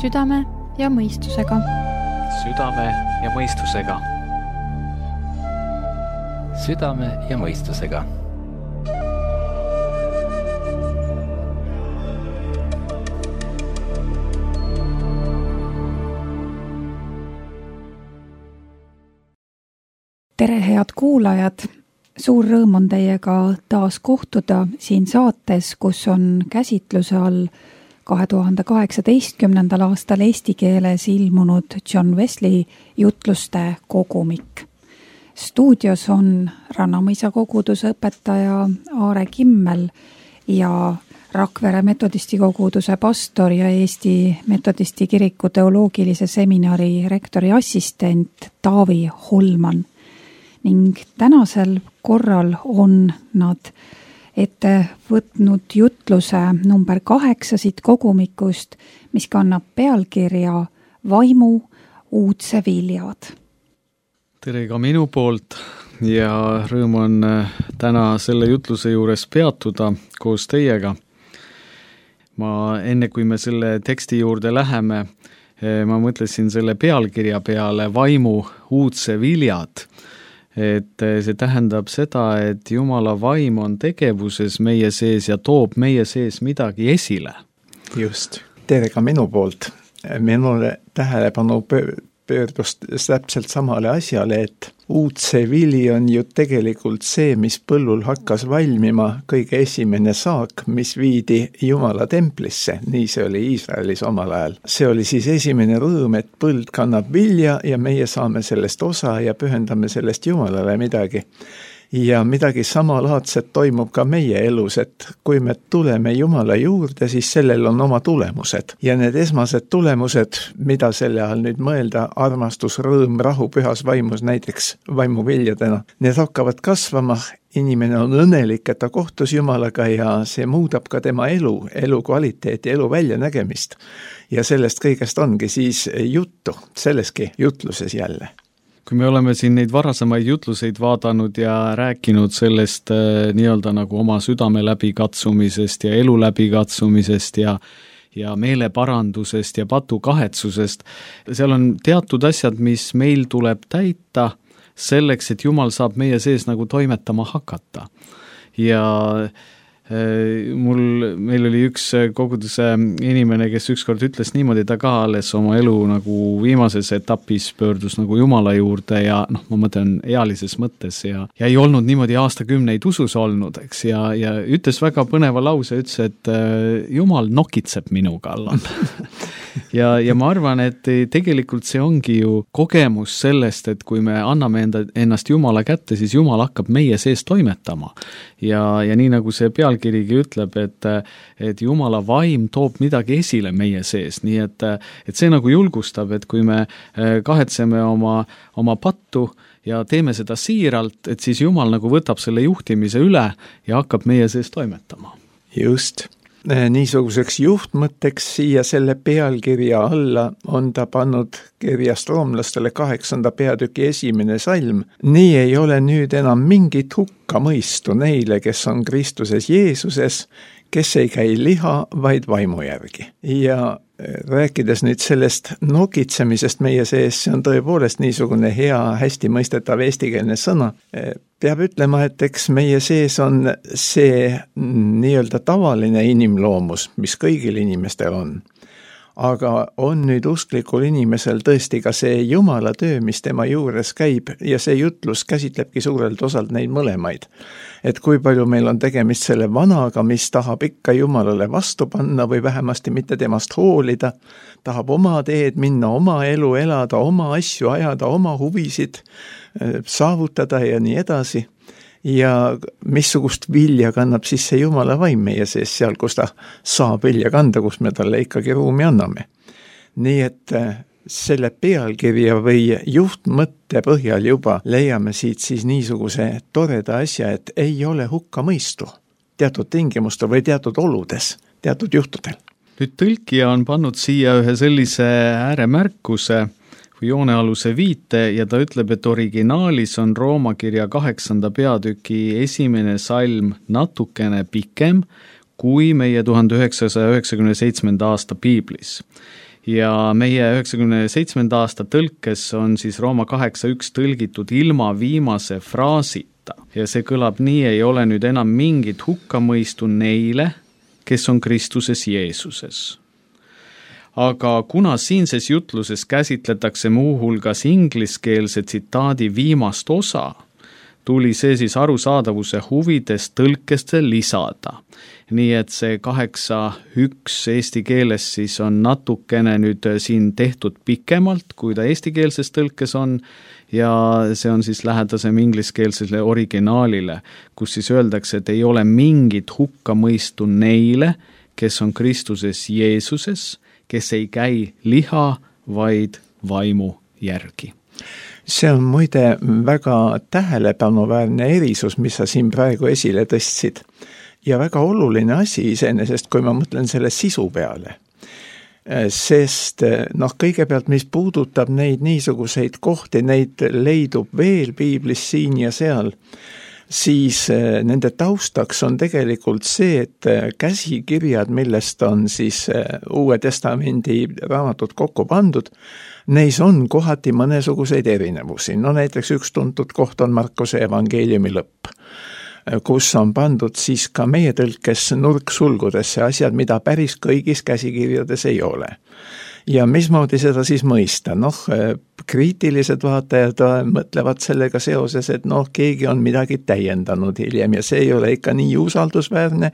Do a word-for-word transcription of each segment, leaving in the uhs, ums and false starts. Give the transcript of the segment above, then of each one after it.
Südame ja mõistusega. Südame ja mõistusega. Südame ja mõistusega. Tere, head kuulajad! Suur rõõm on teiega taas kohtuda siin saates, kus on käsitluse all kahe tuhande kaheksateistkümnendal aastal eesti keeles ilmunud John Wesley jutluste kogumik. Stuudios on Rannamõisa koguduse õpetaja Aare Kimmel ja Rakvere metodisti koguduse pastor ja Eesti metodisti kiriku teoloogilise seminari rektori assistent Taavi Holman. Ning tänasel korral on nad ette võtnud jutluse number kaheksa siit kogumikust, mis kannab pealkirja Vaimu uudse viljad. Tere ka minu poolt ja rõõm on täna selle jutluse juures peatuda koos teiega. Ma enne kui me selle teksti juurde läheme, ma mõtlesin selle pealkirja peale Vaimu uudse viljad. Et see tähendab seda, et Jumala vaim on tegevuses meie sees ja toob meie sees midagi esile. Just. Tere ka minu poolt. Minule tähelepanu pöördus täpselt samale asjale, et uudse vili on ju tegelikult see, mis põllul hakkas valmima, kõige esimene saak, mis viidi Jumala templisse. Nii see oli Iisraelis omal ajal. See oli siis esimene rõõm, et põld kannab vilja ja meie saame sellest osa ja pühendame sellest Jumalale midagi. Ja midagi samalaadset toimub ka meie elus, et kui me tuleme Jumala juurde, siis sellel on oma tulemused. Ja need esmased tulemused, mida selle all nüüd mõelda, armastus, rõõm, rahu, pühas vaimus, näiteks vaimuviljadena, need hakkavad kasvama. Inimene on õnnelik, et ta kohtus Jumalaga ja see muudab ka tema elu, elu kvaliteeti, elu väljanägemist. Ja sellest kõigest ongi siis juttu, selleski jutluses jälle. Kui me oleme siin neid varasemaid jutluseid vaadanud ja rääkinud sellest äh, nii-öelda nagu oma südame läbikatsumisest ja elu läbikatsumisest ja, ja meeleparandusest ja patukahetsusest, seal on teatud asjad, mis meil tuleb täita selleks, et Jumal saab meie sees nagu toimetama hakata. Ja Mul, meil oli üks koguduse inimene, kes ükskord ütles niimoodi, ta ka alles oma elu nagu viimases etapis pöördus nagu Jumala juurde ja noh, ma mõtlen ealises mõttes ja, ja ei olnud niimoodi aastakümneid usus olnud, eks, ja, ja ütles väga põneva lause, ütles, et Jumal nokitseb minu kallal. ja, ja ma arvan, et tegelikult see ongi ju kogemus sellest, et kui me anname enda, ennast Jumala kätte, siis Jumal hakkab meie sees toimetama. Ja, ja nii nagu see pealkirigi ütleb, et, et Jumala vaim toob midagi esile meie sees, nii et, et see nagu julgustab, et kui me kahetseme oma, oma pattu ja teeme seda siiralt, et siis Jumal nagu võtab selle juhtimise üle ja hakkab meie sees toimetama. Just. Niisuguseks juhtmõtteks siia selle pealkirja alla on ta pannud kirjast roomlastele kaheksanda peatüki esimene salm. Nii ei ole nüüd enam mingit hukka mõistu neile, kes on Kristuses Jeesuses, kes ei käi liha, vaid vaimu järgi. Ja rääkides nüüd sellest nokitsemisest meie sees, see on tõepoolest niisugune hea, hästi mõistetav eestikeelne sõna. Peab ütlema, et eks meie sees on see nii-öelda tavaline inimloomus, mis kõigil inimestel on. Aga on nüüd usklikul inimesel tõesti ka see Jumala töö, mis tema juures käib ja see jutlus käsitlebki suurelt osalt neid mõlemaid. Et kui palju meil on tegemist selle vanaga, mis tahab ikka Jumalale vastu panna või vähemasti mitte temast hoolida, tahab oma teed minna, oma elu elada, oma asju ajada, oma huvisid saavutada ja nii edasi. Ja missugust vilja kannab siis see Jumala vaim meie sees seal, kus ta saab vilja kanda, kus me talle ikkagi ruumi anname. Nii et selle pealkirja või juhtmõtte põhjal juba leiame siit siis niisuguse toreda asja, et ei ole hukka mõistu teatud tingimustel või teatud oludes, teatud juhtudel. Nüüd tõlkija on pannud siia ühe sellise ääremärkuse või joonealuse viite ja ta ütleb, et originaalis on Rooma kirja kaheksanda peatüki esimene salm natukene pikem kui meie tuhande üheksasaja üheksakümne seitsmenda aasta piiblis. ja meie üheksakümne seitsmenda aasta tõlkes on siis Rooma kaheksa üks tõlgitud ilma viimase fraasita ja see kõlab nii: ei ole nüüd enam mingit hukkamõistu neile, kes on Kristuses Jeesuses. Aga kuna siinses jutluses käsitletakse muuhulgas ingliskeelse tsitaadi viimast osa, tuli see siis arusaadavuse huvides tõlkeste lisada. Nii et see kaheksa üks eesti keeles siis on natukene nüüd siin tehtud pikemalt, kui ta eestikeelses tõlkes on, ja see on siis lähedasem ingliskeelsele originaalile, kus siis öeldakse, et ei ole mingit hukkamõistu neile, kes on Kristuses Jeesuses, kes ei käi liha, vaid vaimu järgi. See on muide väga tähelepanuväärne erisus, mis sa siin praegu esile tõstsid. Ja väga oluline asi iseenesest, kui ma mõtlen selle sisu peale. Sest noh, kõigepealt, mis puudutab neid niisuguseid kohti, neid leidub veel piiblis siin ja seal, siis nende taustaks on tegelikult see, et käsikirjad, millest on siis Uue Testamendi raamatud kokku pandud, neis on kohati mõnesuguseid erinevusi. No näiteks üks tuntud koht on Markuse evangeeliumi lõpp, kus on pandud siis ka meie tõlkes nurksulgudesse asjad, mida päris kõigis käsikirjades ei ole. Ja mismoodi seda siis mõista? Noh, kriitilised vaatajad mõtlevad sellega seoses, et noh, keegi on midagi täiendanud hiljem ja see ei ole ikka nii usaldusväärne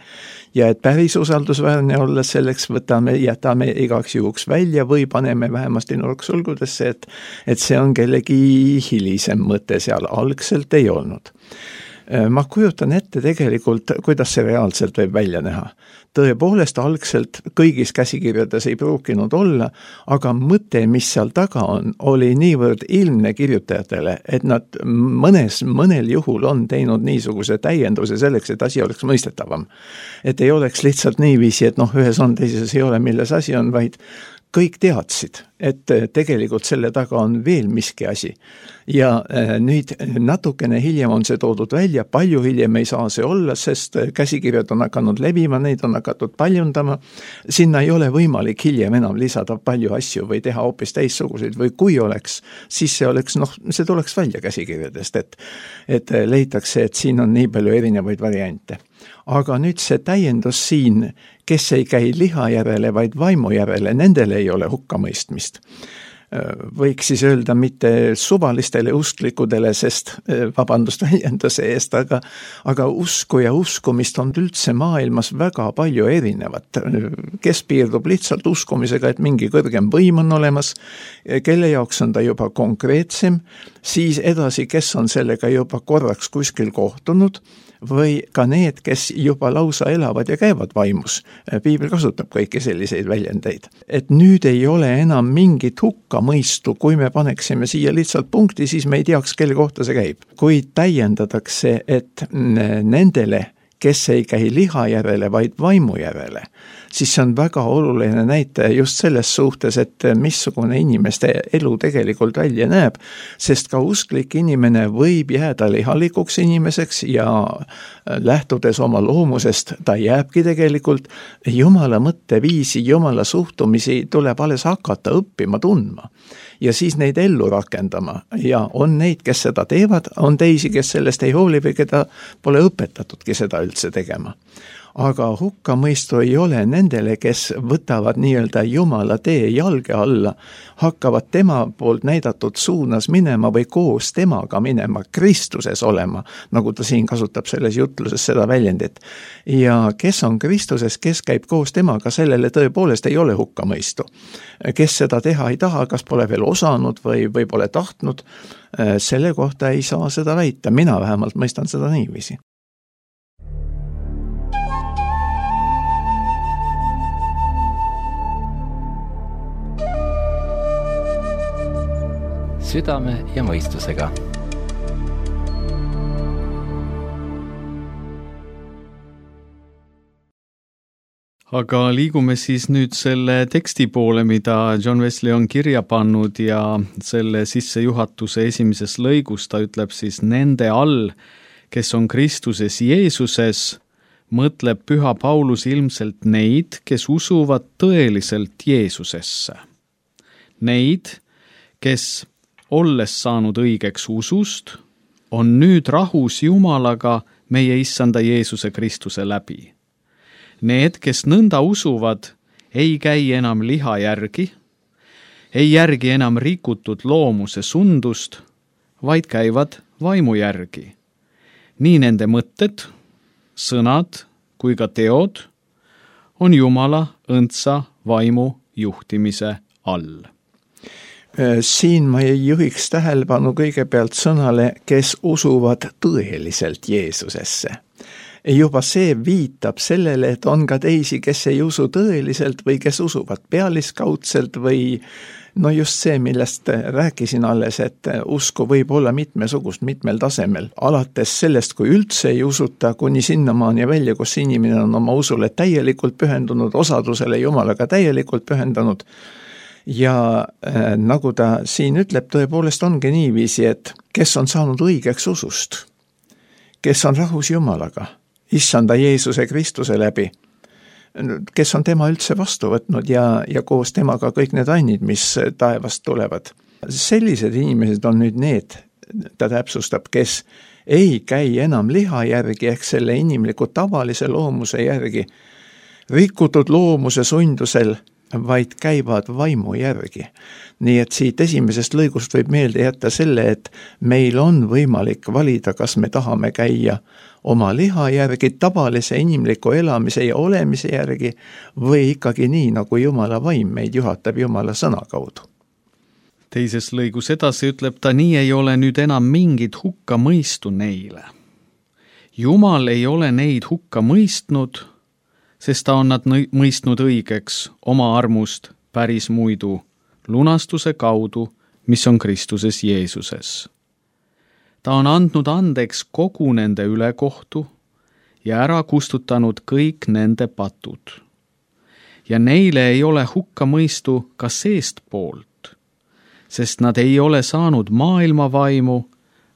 ja et päris usaldusväärne olla selleks võtame, jätame igaks juhuks välja või paneme vähemasti nurksulgudesse, et, et see on kellegi hilisem mõte seal, algselt ei olnud. Ma kujutan ette tegelikult, kuidas see reaalselt võib välja näha. Tõepoolest algselt kõigis käsikirjades ei pruukinud olla, aga mõte, mis seal taga on, oli niivõrd ilmne kirjutajatele, et nad mõnes, mõnel juhul on teinud niisuguse täienduse selleks, et asi oleks mõistetavam. Et ei oleks lihtsalt niiviisi, et noh, ühes on, teises ei ole, milles asi on, vaid kõik teadsid, et tegelikult selle taga on veel miski asi. Ja nüüd natukene hiljem on see toodud välja, palju hiljem ei saa see olla, sest käsikirjad on hakanud levima, neid on hakatud paljundama. Sinna ei ole võimalik hiljem enam lisada palju asju või teha hoopis teistsuguseid või kui oleks, siis see oleks, noh, see tuleks välja käsikirjadest, et, et leitakse, et siin on nii palju erinevaid variante. Aga nüüd see täiendus siin, kes ei käi liha järele, vaid vaimu järele, nendele ei ole hukkamõistmist. Võiks siis öelda mitte suvalistele usklikudele, sest vabandust väljenduse eest, aga, aga usku ja uskumist on üldse maailmas väga palju erinevat. Kes piirdub lihtsalt uskumisega, et mingi kõrgem võim on olemas, kelle jaoks on ta juba konkreetsem, siis edasi, kes on sellega juba korraks kuskil kohtunud, või ka need, kes juba lausa elavad ja käivad vaimus. Piibel kasutab kõiki selliseid väljendeid. Et nüüd ei ole enam mingit hukkamõistu, kui me paneksime siia lihtsalt punkti, siis me ei teaks, kelle kohta see käib. Kui täiendatakse, et nendele, kes ei käi liha järele, vaid vaimu järele, siis see on väga oluline näitaja just selles suhtes, et missugune inimeste elu tegelikult välja näeb, sest ka usklik inimene võib jääda lihalikuks inimeseks ja lähtudes oma loomusest, ta jääbki tegelikult Jumala mõtteviisi, Jumala suhtumisi tuleb alles hakata õppima tundma ja siis neid ellu rakendama ja on neid, kes seda teevad, on teisi, kes sellest ei hooli või keda pole õpetatudki seda üldse tegema. Aga hukkamõistu ei ole nendele, kes võtavad nii-öelda Jumala tee jalge alla, hakkavad tema poolt näidatud suunas minema või koos temaga minema, Kristuses olema, nagu ta siin kasutab selles jutluses seda väljendit. Ja kes on Kristuses, kes käib koos temaga, sellele tõepoolest ei ole hukkamõistu. Kes seda teha ei taha, kas pole veel osanud või, või pole tahtnud, selle kohta ei saa seda väita, mina vähemalt mõistan seda niiviisi. Südame ja mõistusega. Aga liigume siis nüüd selle teksti poole, mida John Wesley on kirja pannud ja selle sissejuhatuse esimeses lõigus ta ütleb siis nende all, kes on Kristuses Jeesuses, mõtleb püha Paulus ilmselt neid, kes usuvad tõeliselt Jeesusesse. Neid, kes olles saanud õigeks usust, on nüüd rahus Jumalaga meie issanda Jeesuse Kristuse läbi. Need, kes nõnda usuvad, ei käi enam liha järgi, ei järgi enam rikutud loomuse sundust, vaid käivad vaimu järgi. Nii nende mõtted, sõnad kui ka teod on Jumala õndsa vaimu juhtimise all. Siin ma juhiks tähelepanu kõigepealt sõnale, kes usuvad tõeliselt Jeesusesse. Juba see viitab sellele, et on ka teisi, kes ei usu tõeliselt või kes usuvad pealiskaudselt või no just see, millest rääkisin alles, et usku võib olla mitmesugust mitmel tasemel. Alates sellest, kui üldse ei usuta, kuni sinnamaani välja, kus inimene on oma usule täielikult pühendunud, osadusele Jumalaga täielikult pühendunud. Ja äh, nagu ta siin ütleb, tõepoolest ongi niiviisi, et kes on saanud õigeks usust, kes on rahus Jumalaga, issanda Jeesuse Kristuse läbi, kes on tema üldse vastu võtnud ja, ja koos temaga kõik need annid, mis taevast tulevad. Sellised inimesed on nüüd need, ta täpsustab, kes ei käi enam liha järgi ehk selle inimliku tavalise loomuse järgi, rikutud loomuse sundusel, vaid käivad vaimu järgi. Nii et siit esimesest lõigust võib meelde jätta selle, et meil on võimalik valida, kas me tahame käia oma liha järgi, tavalise inimliku elamise ja olemise järgi või ikkagi nii, nagu Jumala vaim meid juhatab Jumala sõna kaudu. Teises lõigus edasi ütleb ta, nii ei ole nüüd enam mingit hukka mõistu neile. Jumal ei ole neid hukka mõistnud, sest ta on nad mõistnud õigeks oma armust päris muidu lunastuse kaudu, mis on Kristuses Jeesuses. Ta on andnud andeks kogu nende ülekohtu ja ära kustutanud kõik nende patud. Ja neile ei ole hukka mõistu ka seest poolt, sest nad ei ole saanud maailma vaimu,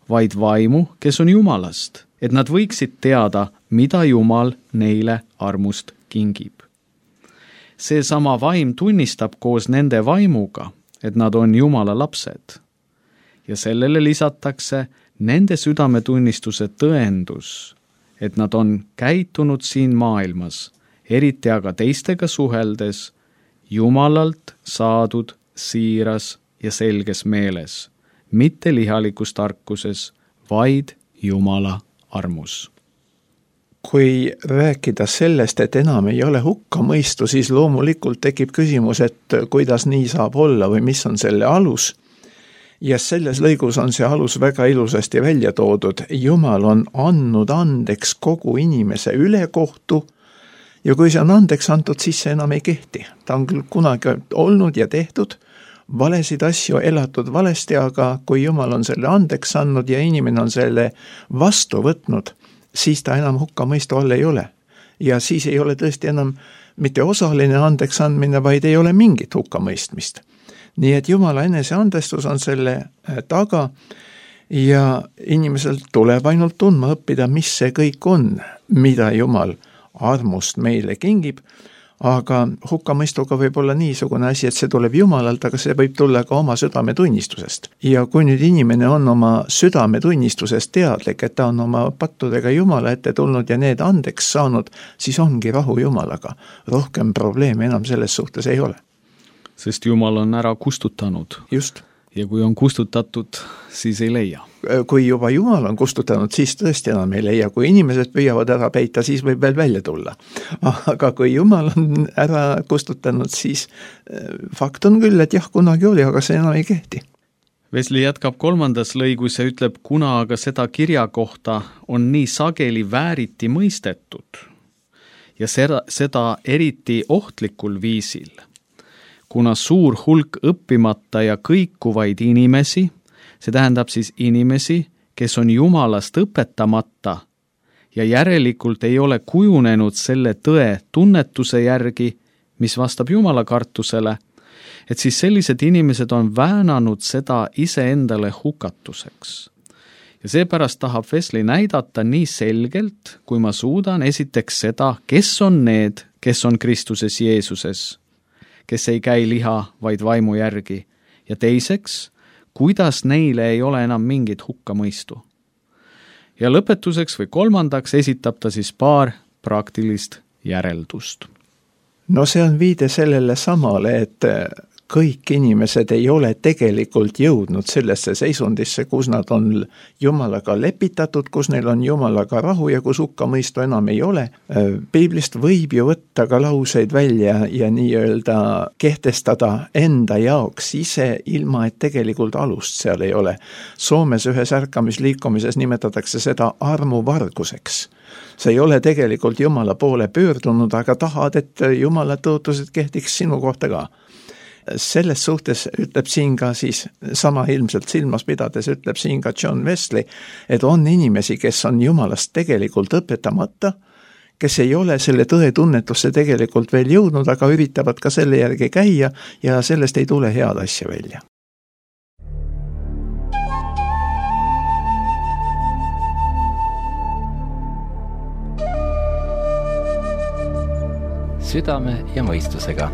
vaid vaimu, kes on Jumalast, et nad võiksid teada, mida Jumal neile armust kingib. See sama vaim tunnistab koos nende vaimuga, et nad on Jumala lapsed. Ja sellele lisatakse nende südametunnistuse tõendus, et nad on käitunud siin maailmas, eriti aga teistega suheldes, Jumalalt saadud siiras ja selges meeles, mitte lihalikus tarkuses, vaid Jumala armus. Kui rääkida sellest, et enam ei ole hukka mõistu, siis loomulikult tekib küsimus, et kuidas nii saab olla või mis on selle alus. Ja selles lõigus on see alus väga ilusasti välja toodud. Jumal on andnud andeks kogu inimese ülekohtu ja kui see on andeks antud, siis see enam ei kehti. Ta on küll kunagi olnud ja tehtud valesid asju, elatud valesti, aga kui Jumal on selle andeks andnud ja inimene on selle vastu võtnud, siis ta enam hukka mõistu all ei ole. Ja siis ei ole tõesti enam mitte osaline andeks andmine, vaid ei ole mingit hukka mõistmist. Nii et Jumala enese andestus on selle taga ja inimesel tuleb ainult tundma õppida, mis see kõik on, mida Jumal armust meile kingib, aga hukkamõistuga võib olla niisugune asi, et see tuleb Jumalalt, aga see võib tulla ka oma südametunnistusest. Ja kui nüüd inimene on oma südametunnistusest teadlik, et ta on oma pattudega Jumala ette tulnud ja need andeks saanud, siis ongi rahu Jumalaga. Rohkem probleeme enam selles suhtes ei ole. Sest Jumal on ära kustutanud. Just. Ja kui on kustutatud, siis ei leia. Kui juba Jumal on kustutanud, siis tõesti enam ei leia. Kui inimesed püüavad ära peita, siis võib veel välja tulla. Aga kui Jumal on ära kustutanud, siis fakt on küll, et jah, kunagi oli, aga see enam ei kehti. Wesley jätkab kolmandas lõigus ja ütleb, kuna aga seda kirja kohta on nii sageli vääriti mõistetud ja seda, seda eriti ohtlikul viisil, kuna suur hulk õppimata ja kõikuvaid inimesi, see tähendab siis inimesi, kes on Jumalast õpetamata ja järelikult ei ole kujunenud selle tõe tunnetuse järgi, mis vastab Jumala kartusele, et siis sellised inimesed on väänanud seda iseendale hukatuseks. Ja seepärast tahab Wesley näidata nii selgelt, kui ma suudan esiteks seda, kes on need, kes on Kristuses Jeesuses, kes ei käi liha, vaid vaimu järgi, ja teiseks, kuidas neile ei ole enam mingit hukkamõistu. Ja lõpetuseks või kolmandaks esitab ta siis paar praktilist järeldust. No see on viide sellele samale, et kõik inimesed ei ole tegelikult jõudnud sellesse seisundisse, kus nad on Jumalaga lepitatud, kus neil on Jumalaga rahu ja kus hukkamõistu enam ei ole. Piiblist võib ju võtta ka lauseid välja ja nii-öelda kehtestada enda jaoks ise, ilma et tegelikult alust seal ei ole. Soomes ühes ärkamisliikumises nimetatakse seda armuvarguseks. See ei ole tegelikult Jumala poole pöördunud, aga tahad, et Jumala tõotused kehtiks sinu kohta ka. Selles suhtes ütleb siin ka siis, sama ilmselt silmas pidades ütleb siin ka John Wesley, et on inimesi, kes on Jumalast tegelikult õpetamata, kes ei ole selle tõe tunnetusse tegelikult veel jõudnud, aga üritavad ka selle järgi käia ja sellest ei tule head asja välja. Südame ja mõistusega.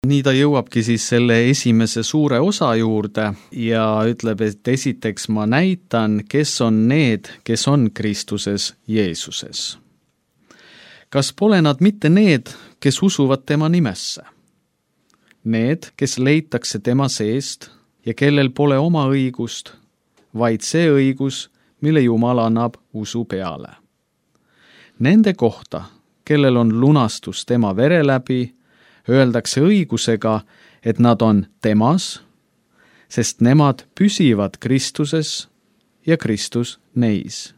Nii ta jõuabki siis selle esimese suure osa juurde ja ütleb, et esiteks ma näitan, kes on need, kes on Kristuses Jeesuses. Kas pole nad mitte need, kes usuvad tema nimesse? Need, kes leitakse tema seest ja kellel pole oma õigust, vaid see õigus, mille Jumal annab usu peale. Nende kohta, kellel on lunastus tema vere läbi, öeldakse õigusega, et nad on temas, sest nemad püsivad Kristuses ja Kristus neis.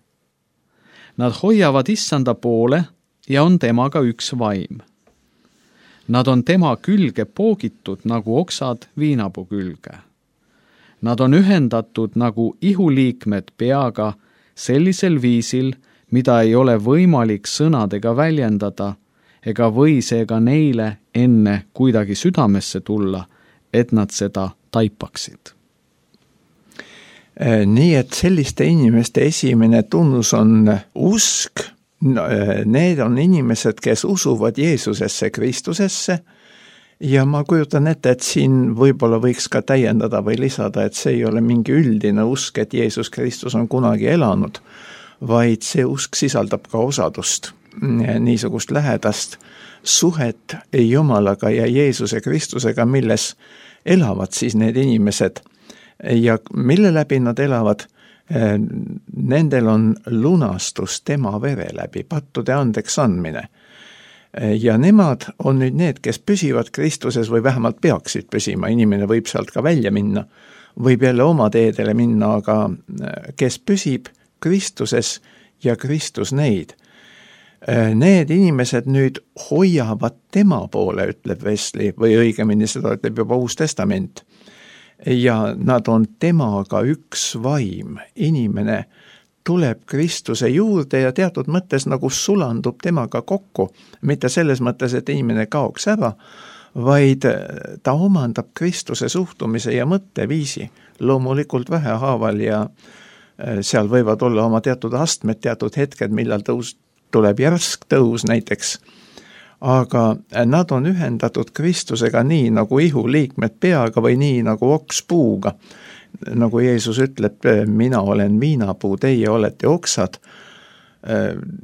Nad hoiavad issanda poole ja on temaga üks vaim. Nad on tema külge poogitud nagu oksad viinapuu külge. Nad on ühendatud nagu ihuliikmed peaga sellisel viisil, mida ei ole võimalik sõnadega väljendada, ega või seega neile enne kuidagi südamesse tulla, et nad seda taipaksid. Nii et selliste inimeste esimene tunnus on usk. Need on inimesed, kes usuvad Jeesusesse, Kristusesse ja ma kujutan ette, et siin võib-olla võiks ka täiendada või lisada, et see ei ole mingi üldine usk, et Jeesus Kristus on kunagi elanud, vaid see usk sisaldab ka osadust. Niisugust lähedast suhet Jumalaga ja Jeesuse Kristusega, milles elavad siis need inimesed ja mille läbi nad elavad, nendel on lunastus tema vere läbi, pattude andeks andmine. Ja nemad on nüüd need, kes püsivad Kristuses või vähemalt peaksid püsima, inimene võib sealt ka välja minna, võib jälle oma teedele minna, aga kes püsib Kristuses ja Kristus neid. Need inimesed nüüd hoiavad tema poole, ütleb Wesley, või õigemini seda ütleb juba Uus Testament. Ja nad on temaga üks vaim. Inimene tuleb Kristuse juurde ja teatud mõttes nagu sulandub temaga kokku. Mitte selles mõttes, et inimene kaoks ära, vaid ta omandab Kristuse suhtumise ja mõtteviisi. Loomulikult vähehaaval ja seal võivad olla oma teatud astmed, teatud hetked, millal tõus tuleb järsk tõus näiteks, aga nad on ühendatud Kristusega nii nagu ihuliikmed peaga või nii nagu oks puuga. Nagu Jeesus ütleb, mina olen viinapuu, teie olete oksad.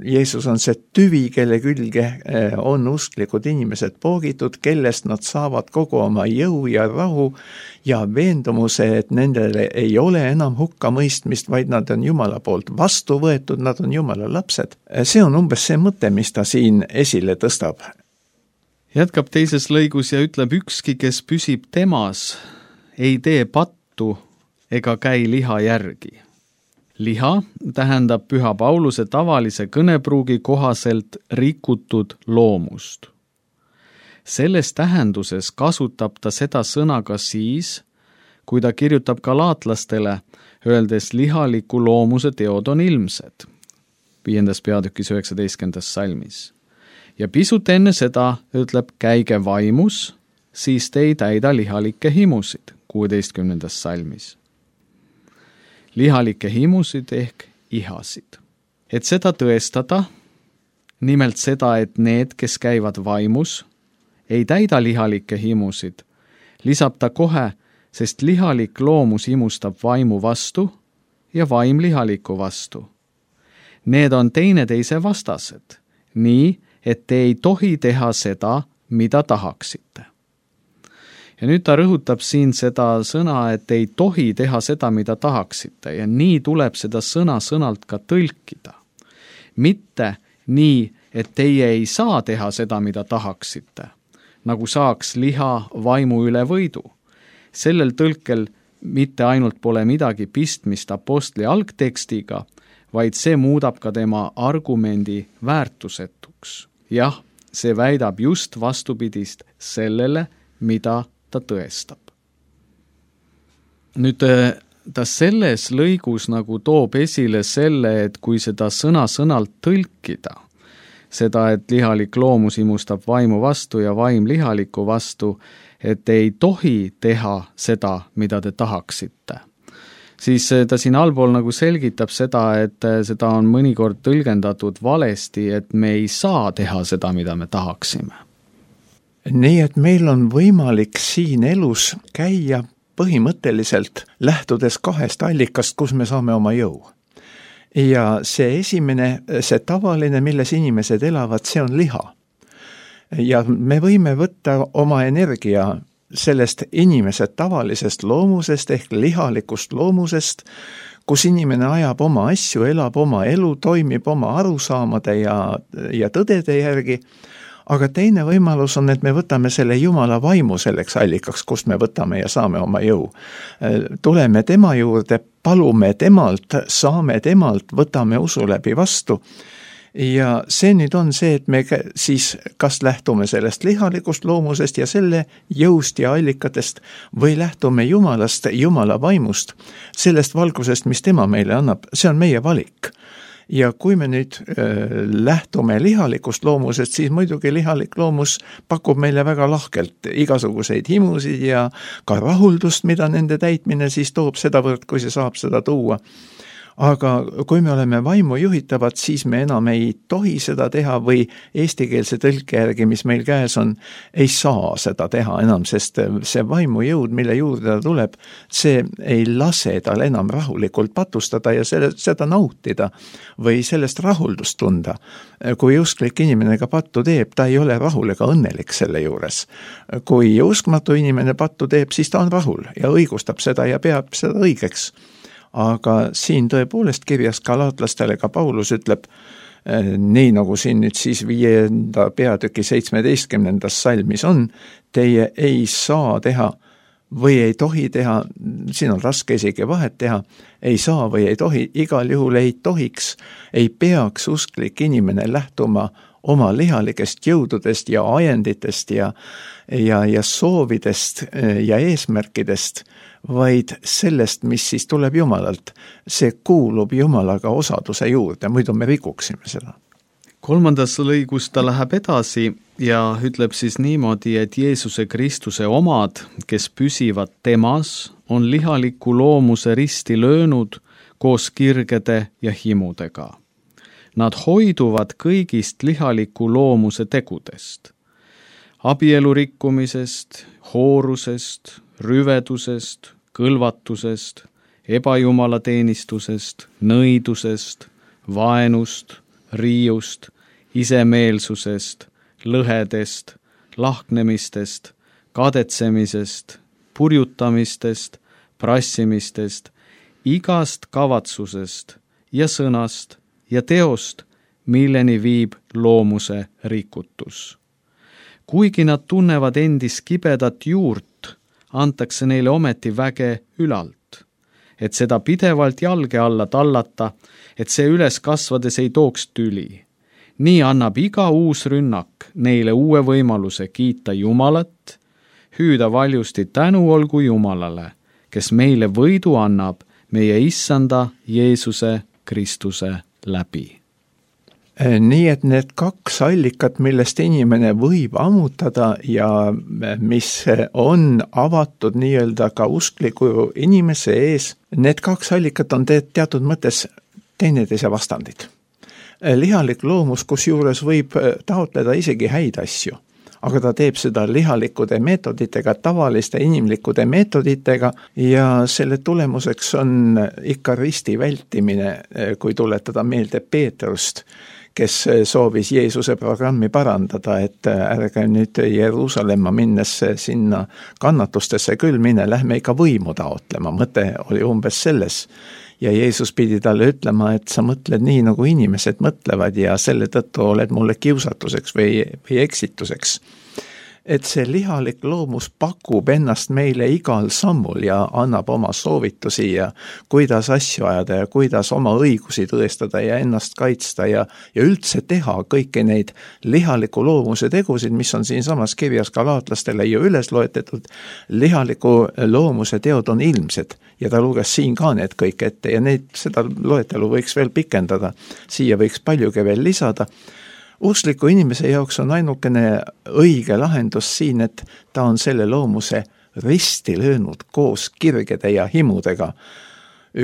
Jeesus on see tüvi, kelle külge on usklikud inimesed poogitud, kellest nad saavad kogu oma jõu ja rahu ja veendumuse, et nendele ei ole enam hukkamõistmist, vaid nad on Jumala poolt vastu võetud, nad on Jumala lapsed. See on umbes see mõte, mis ta siin esile tõstab. Jätkab teises lõigus ja ütleb, ükski, kes püsib temas, ei tee pattu ega käi liha järgi. Liha tähendab Püha Pauluse tavalise kõnepruugi kohaselt rikutud loomust. Selles tähenduses kasutab ta seda sõna ka siis, kui ta kirjutab galaatlastele, öeldes lihaliku loomuse teod on ilmsed. Viiendas peatükis üheksateistkümnendas salmis. Ja pisut enne seda ütleb käige vaimus, siis te ei täida lihalikke himusid, kuueteistkümnendas salmis. Lihalikke himusid ehk ihasid. Et seda tõestada, nimelt seda, et need, kes käivad vaimus, ei täida lihalikke himusid, lisab ta kohe, sest lihalik loomus imustab vaimu vastu ja vaim lihaliku vastu. Need on teineteise vastased, nii, et te ei tohi teha seda, mida tahaksite. Ja nüüd ta rõhutab siin seda sõna, et ei tohi teha seda, mida tahaksite, ja nii tuleb seda sõna sõnalt ka tõlkida. Mitte nii, et teie ei saa teha seda, mida tahaksite, nagu saaks liha vaimu üle võidu. Sellel tõlkel mitte ainult pole midagi pistmist apostli algtekstiga, vaid see muudab ka tema argumendi väärtusetuks. Jah, see väidab just vastupidist sellele, mida ta tõestab. Nüüd ta selles lõigus nagu toob esile selle, et kui seda sõna sõnalt tõlkida, seda, et lihalik loomus imustab vaimu vastu ja vaim lihaliku vastu, et ei tohi teha seda, mida te tahaksite. Siis ta siin allpool nagu selgitab seda, et seda on mõnikord tõlgendatud valesti, et me ei saa teha seda, mida me tahaksime. Nii, et meil on võimalik siin elus käia põhimõtteliselt lähtudes kahest allikast, kus me saame oma jõu. Ja see esimene, see tavaline, milles inimesed elavad, see on liha. Ja me võime võtta oma energia sellest inimese tavalisest loomusest ehk lihalikust loomusest, kus inimene ajab oma asju, elab oma elu, toimib oma arusaamade ja, ja tõdede järgi, aga teine võimalus on, et me võtame selle Jumala vaimu selleks allikaks, kust me võtame ja saame oma jõu. Tuleme tema juurde, palume temalt, saame temalt, võtame usu läbi vastu. Ja see nüüd on see, et me siis kas lähtume sellest lihalikust loomusest ja selle jõust ja allikatest või lähtume Jumalast, Jumala vaimust, sellest valgusest, mis tema meile annab, see on meie valik. Ja kui me nüüd äh, lähtume lihalikust loomusest, siis muidugi lihalik loomus pakub meile väga lahkelt igasuguseid himusid ja ka rahuldust, mida nende täitmine siis toob sedavõrd, kui see saab seda tuua. Aga kui me oleme vaimu juhitavad, siis me enam ei tohi seda teha või eestikeelse tõlke järgi, mis meil käes on, ei saa seda teha enam, sest see vaimu jõud, mille juurde ta tuleb, see ei lase tal enam rahulikult patustada ja selle, seda nautida või sellest rahuldust tunda. Kui usklik inimene ka pattu teeb, ta ei ole rahul ega õnnelik selle juures. Kui uskmatu inimene pattu teeb, siis ta on rahul ja õigustab seda ja peab seda õigeks. Aga siin tõepoolest kirjas galaatlastele ka Paulus ütleb, nii nagu siin nüüd siis viienda peatüki seitsmeteistkümnendas salmis on, teie ei saa teha või ei tohi teha, siin on raske isegi vahet teha, ei saa või ei tohi, igal juhul ei tohiks, ei peaks usklik inimene lähtuma oma lihalikest jõududest ja ajenditest ja, ja, ja soovidest ja eesmärkidest, vaid sellest, mis siis tuleb Jumalalt. See kuulub Jumalaga osaduse juurde, muidu me rikuksime seda. Kolmandas lõigus ta läheb edasi ja ütleb siis niimoodi, et Jeesuse Kristuse omad, kes püsivad temas, on lihaliku loomuse risti löönud koos kirgede ja himudega. Nad hoiduvad kõigist lihaliku loomuse tegudest, abielu rikkumisest, hoorusest, rüvedusest, kõlvatusest, ebajumalateenistusest, nõidusest, vaenust, riiust, isemeelsusest, lõhedest, lahknemistest, kadetsemisest, purjutamistest, prassimistest, igast kavatsusest ja sõnast ja teost, milleni viib loomuse rikutus. Kuigi nad tunnevad endis kibedat juurt, antakse neile ometi väge ülalt, et seda pidevalt jalge alla tallata, et see üles kasvades ei tooks tüli. Nii annab iga uus rünnak neile uue võimaluse kiita Jumalat, hüüda valjusti tänu olgu Jumalale, kes meile võidu annab meie issanda Jeesuse Kristuse läbi. Nii et need kaks allikat, millest inimene võib ammutada ja mis on avatud nii-öelda ka uskliku inimese ees, need kaks allikat on teatud mõttes teineteise vastandid. lihalik loomus, kus juures võib taotleda isegi häid asju, aga ta teeb seda lihalikude meetoditega, tavaliste inimlikude meetoditega ja selle tulemuseks on ikka risti vältimine, kui tuletada meelde Peetrust, kes soovis Jeesuse programmi parandada, et ärge nüüd Jeruusalemma minnes sinna kannatustesse küll mine, lähme ikka võimu taotlema, mõte oli umbes selles. Ja Jeesus pidi talle ütlema, et sa mõtled nii, nagu inimesed mõtlevad ja selle tõttu oled mulle kiusatuseks või, või eksituseks. Et see lihalik loomus pakub ennast meile igal sammul ja annab oma soovitusi ja kuidas asju ajada ja kuidas oma õigusi tõestada ja ennast kaitsta ja, ja üldse teha kõiki neid lihaliku loomuse tegusid, mis on siin samas kirjas galaatlastele ju üles loetetud. Lihaliku loomuse teod on ilmsed ja ta luges siin ka need kõik ette ja neid, seda loetelu võiks veel pikendada. Siia võiks paljugi veel lisada. Uskliku inimese jaoks on ainukene õige lahendus siin, et ta on selle loomuse risti löönud koos kirgede ja himudega.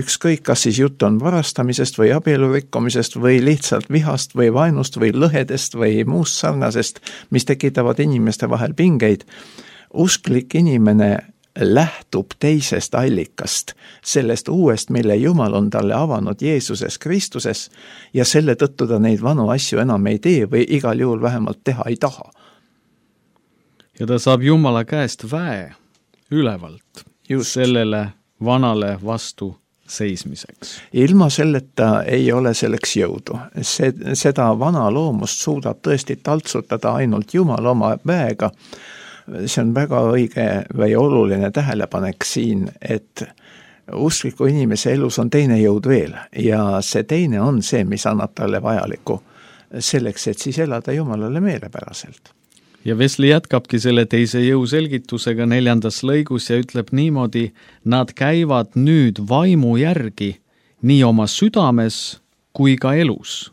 Ükskõik, kas siis jutt on varastamisest või abielurikkomisest või lihtsalt vihast või vaenust või lõhedest või muust sarnasest, mis tekitavad inimeste vahel pingeid. Usklik inimene lähtub teisest allikast, sellest uuest, mille Jumal on talle avanud Jeesuses Kristuses ja selle tõttu ta neid vanu asju enam ei tee või igal juhul vähemalt teha ei taha. Ja ta saab Jumala käest väe ülevalt Just. sellele vanale vastu seismiseks. Ilma selleta ei ole selleks jõudu. See, seda vana loomust suudab tõesti taltsutada ainult Jumal oma väega. See on väga õige või oluline tähelepanek siin, et uskliku inimese elus on teine jõud veel ja see teine on see, mis annab talle vajaliku selleks, et siis elada Jumalale meelepäraselt. Ja Wesley jätkabki selle teise jõu selgitusega neljandas lõigus ja ütleb niimoodi, nad käivad nüüd vaimu järgi nii oma südames kui ka elus.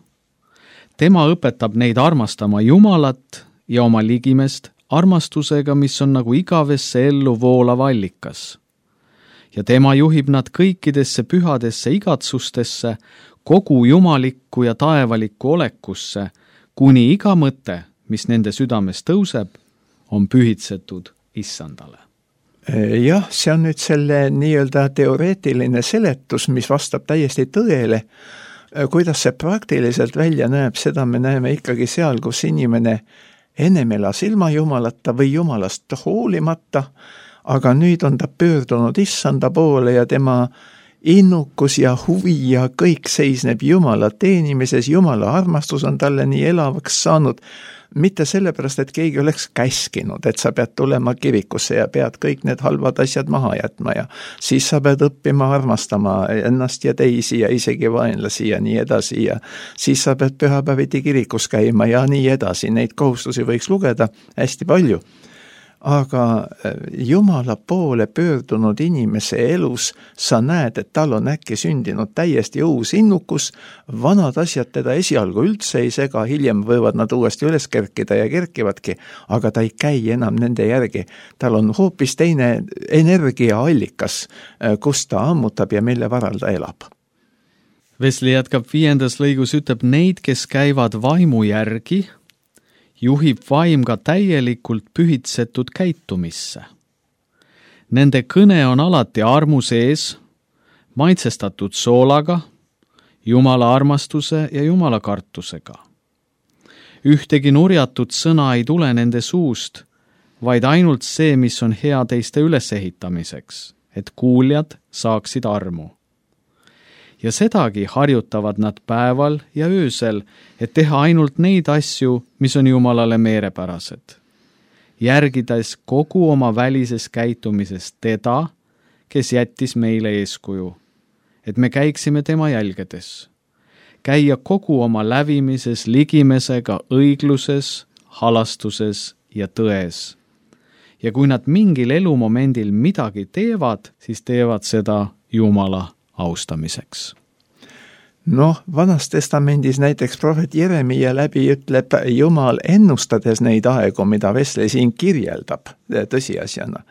Tema õpetab neid armastama Jumalat ja oma ligimest armastusega, mis on nagu igavesse ellu voolav allikas. Ja tema juhib nad kõikidesse pühadesse igatsustesse, kogu jumalikku ja taevalikku olekusse, kuni iga mõte, mis nende südames tõuseb, on pühitsetud Issandale. Jah, see on nüüd selle nii-öelda teoreetiline seletus, mis vastab täiesti tõele. Kuidas see praktiliselt välja näeb, seda me näeme ikkagi seal, kus inimene ennem elas ilma Jumalata või Jumalast hoolimata, aga nüüd on ta pöördunud Issanda poole ja tema innukus ja huvi ja kõik seisneb Jumala teenimises, Jumala armastus on talle nii elavaks saanud, mitte sellepärast, et keegi oleks käskinud, et sa pead tulema kirikusse ja pead kõik need halvad asjad maha jätma ja siis sa pead õppima armastama ennast ja teisi ja isegi vaenlasi ja nii edasi ja siis sa pead pühapäeviti kirikus käima ja nii edasi. Neid kohustusi võiks lugeda hästi palju. Aga Jumala poole pöördunud inimese elus sa näed, et tal on äkki sündinud täiesti uus innukus, vanad asjad teda esialgu üldse ei sega, hiljem võivad nad uuesti üles kerkida ja kerkivadki, aga ta ei käi enam nende järgi. Tal on hoopis teine energiaallikas, kus ta ammutab ja mille varal ta elab. Wesley jätkab viiendas lõigus, ütleb neid, kes käivad vaimu järgi, juhib vaim ka täielikult pühitsetud käitumisse. Nende kõne on alati armu sees, maitsestatud soolaga, Jumala armastuse ja Jumala kartusega. Ühtegi nurjatud sõna ei tule nende suust, vaid ainult see, mis on hea teiste ülesehitamiseks, et kuuljad saaksid armu. Ja sedagi harjutavad nad päeval ja öösel, et teha ainult neid asju, mis on Jumalale meerepärased. Järgides kogu oma välises käitumises teda, kes jättis meile eeskuju, et me käiksime tema jälgedes. Käia kogu oma lävimises, ligimesega, õigluses, halastuses ja tões. Ja kui nad mingil elumomendil midagi teevad, siis teevad seda Jumala austamiseks. Noh, Vanas Testamendis näiteks prohvet Jeremia läbi ütleb Jumal ennustades neid aegu, mida Wesley siin kirjeldab tõsiasjana.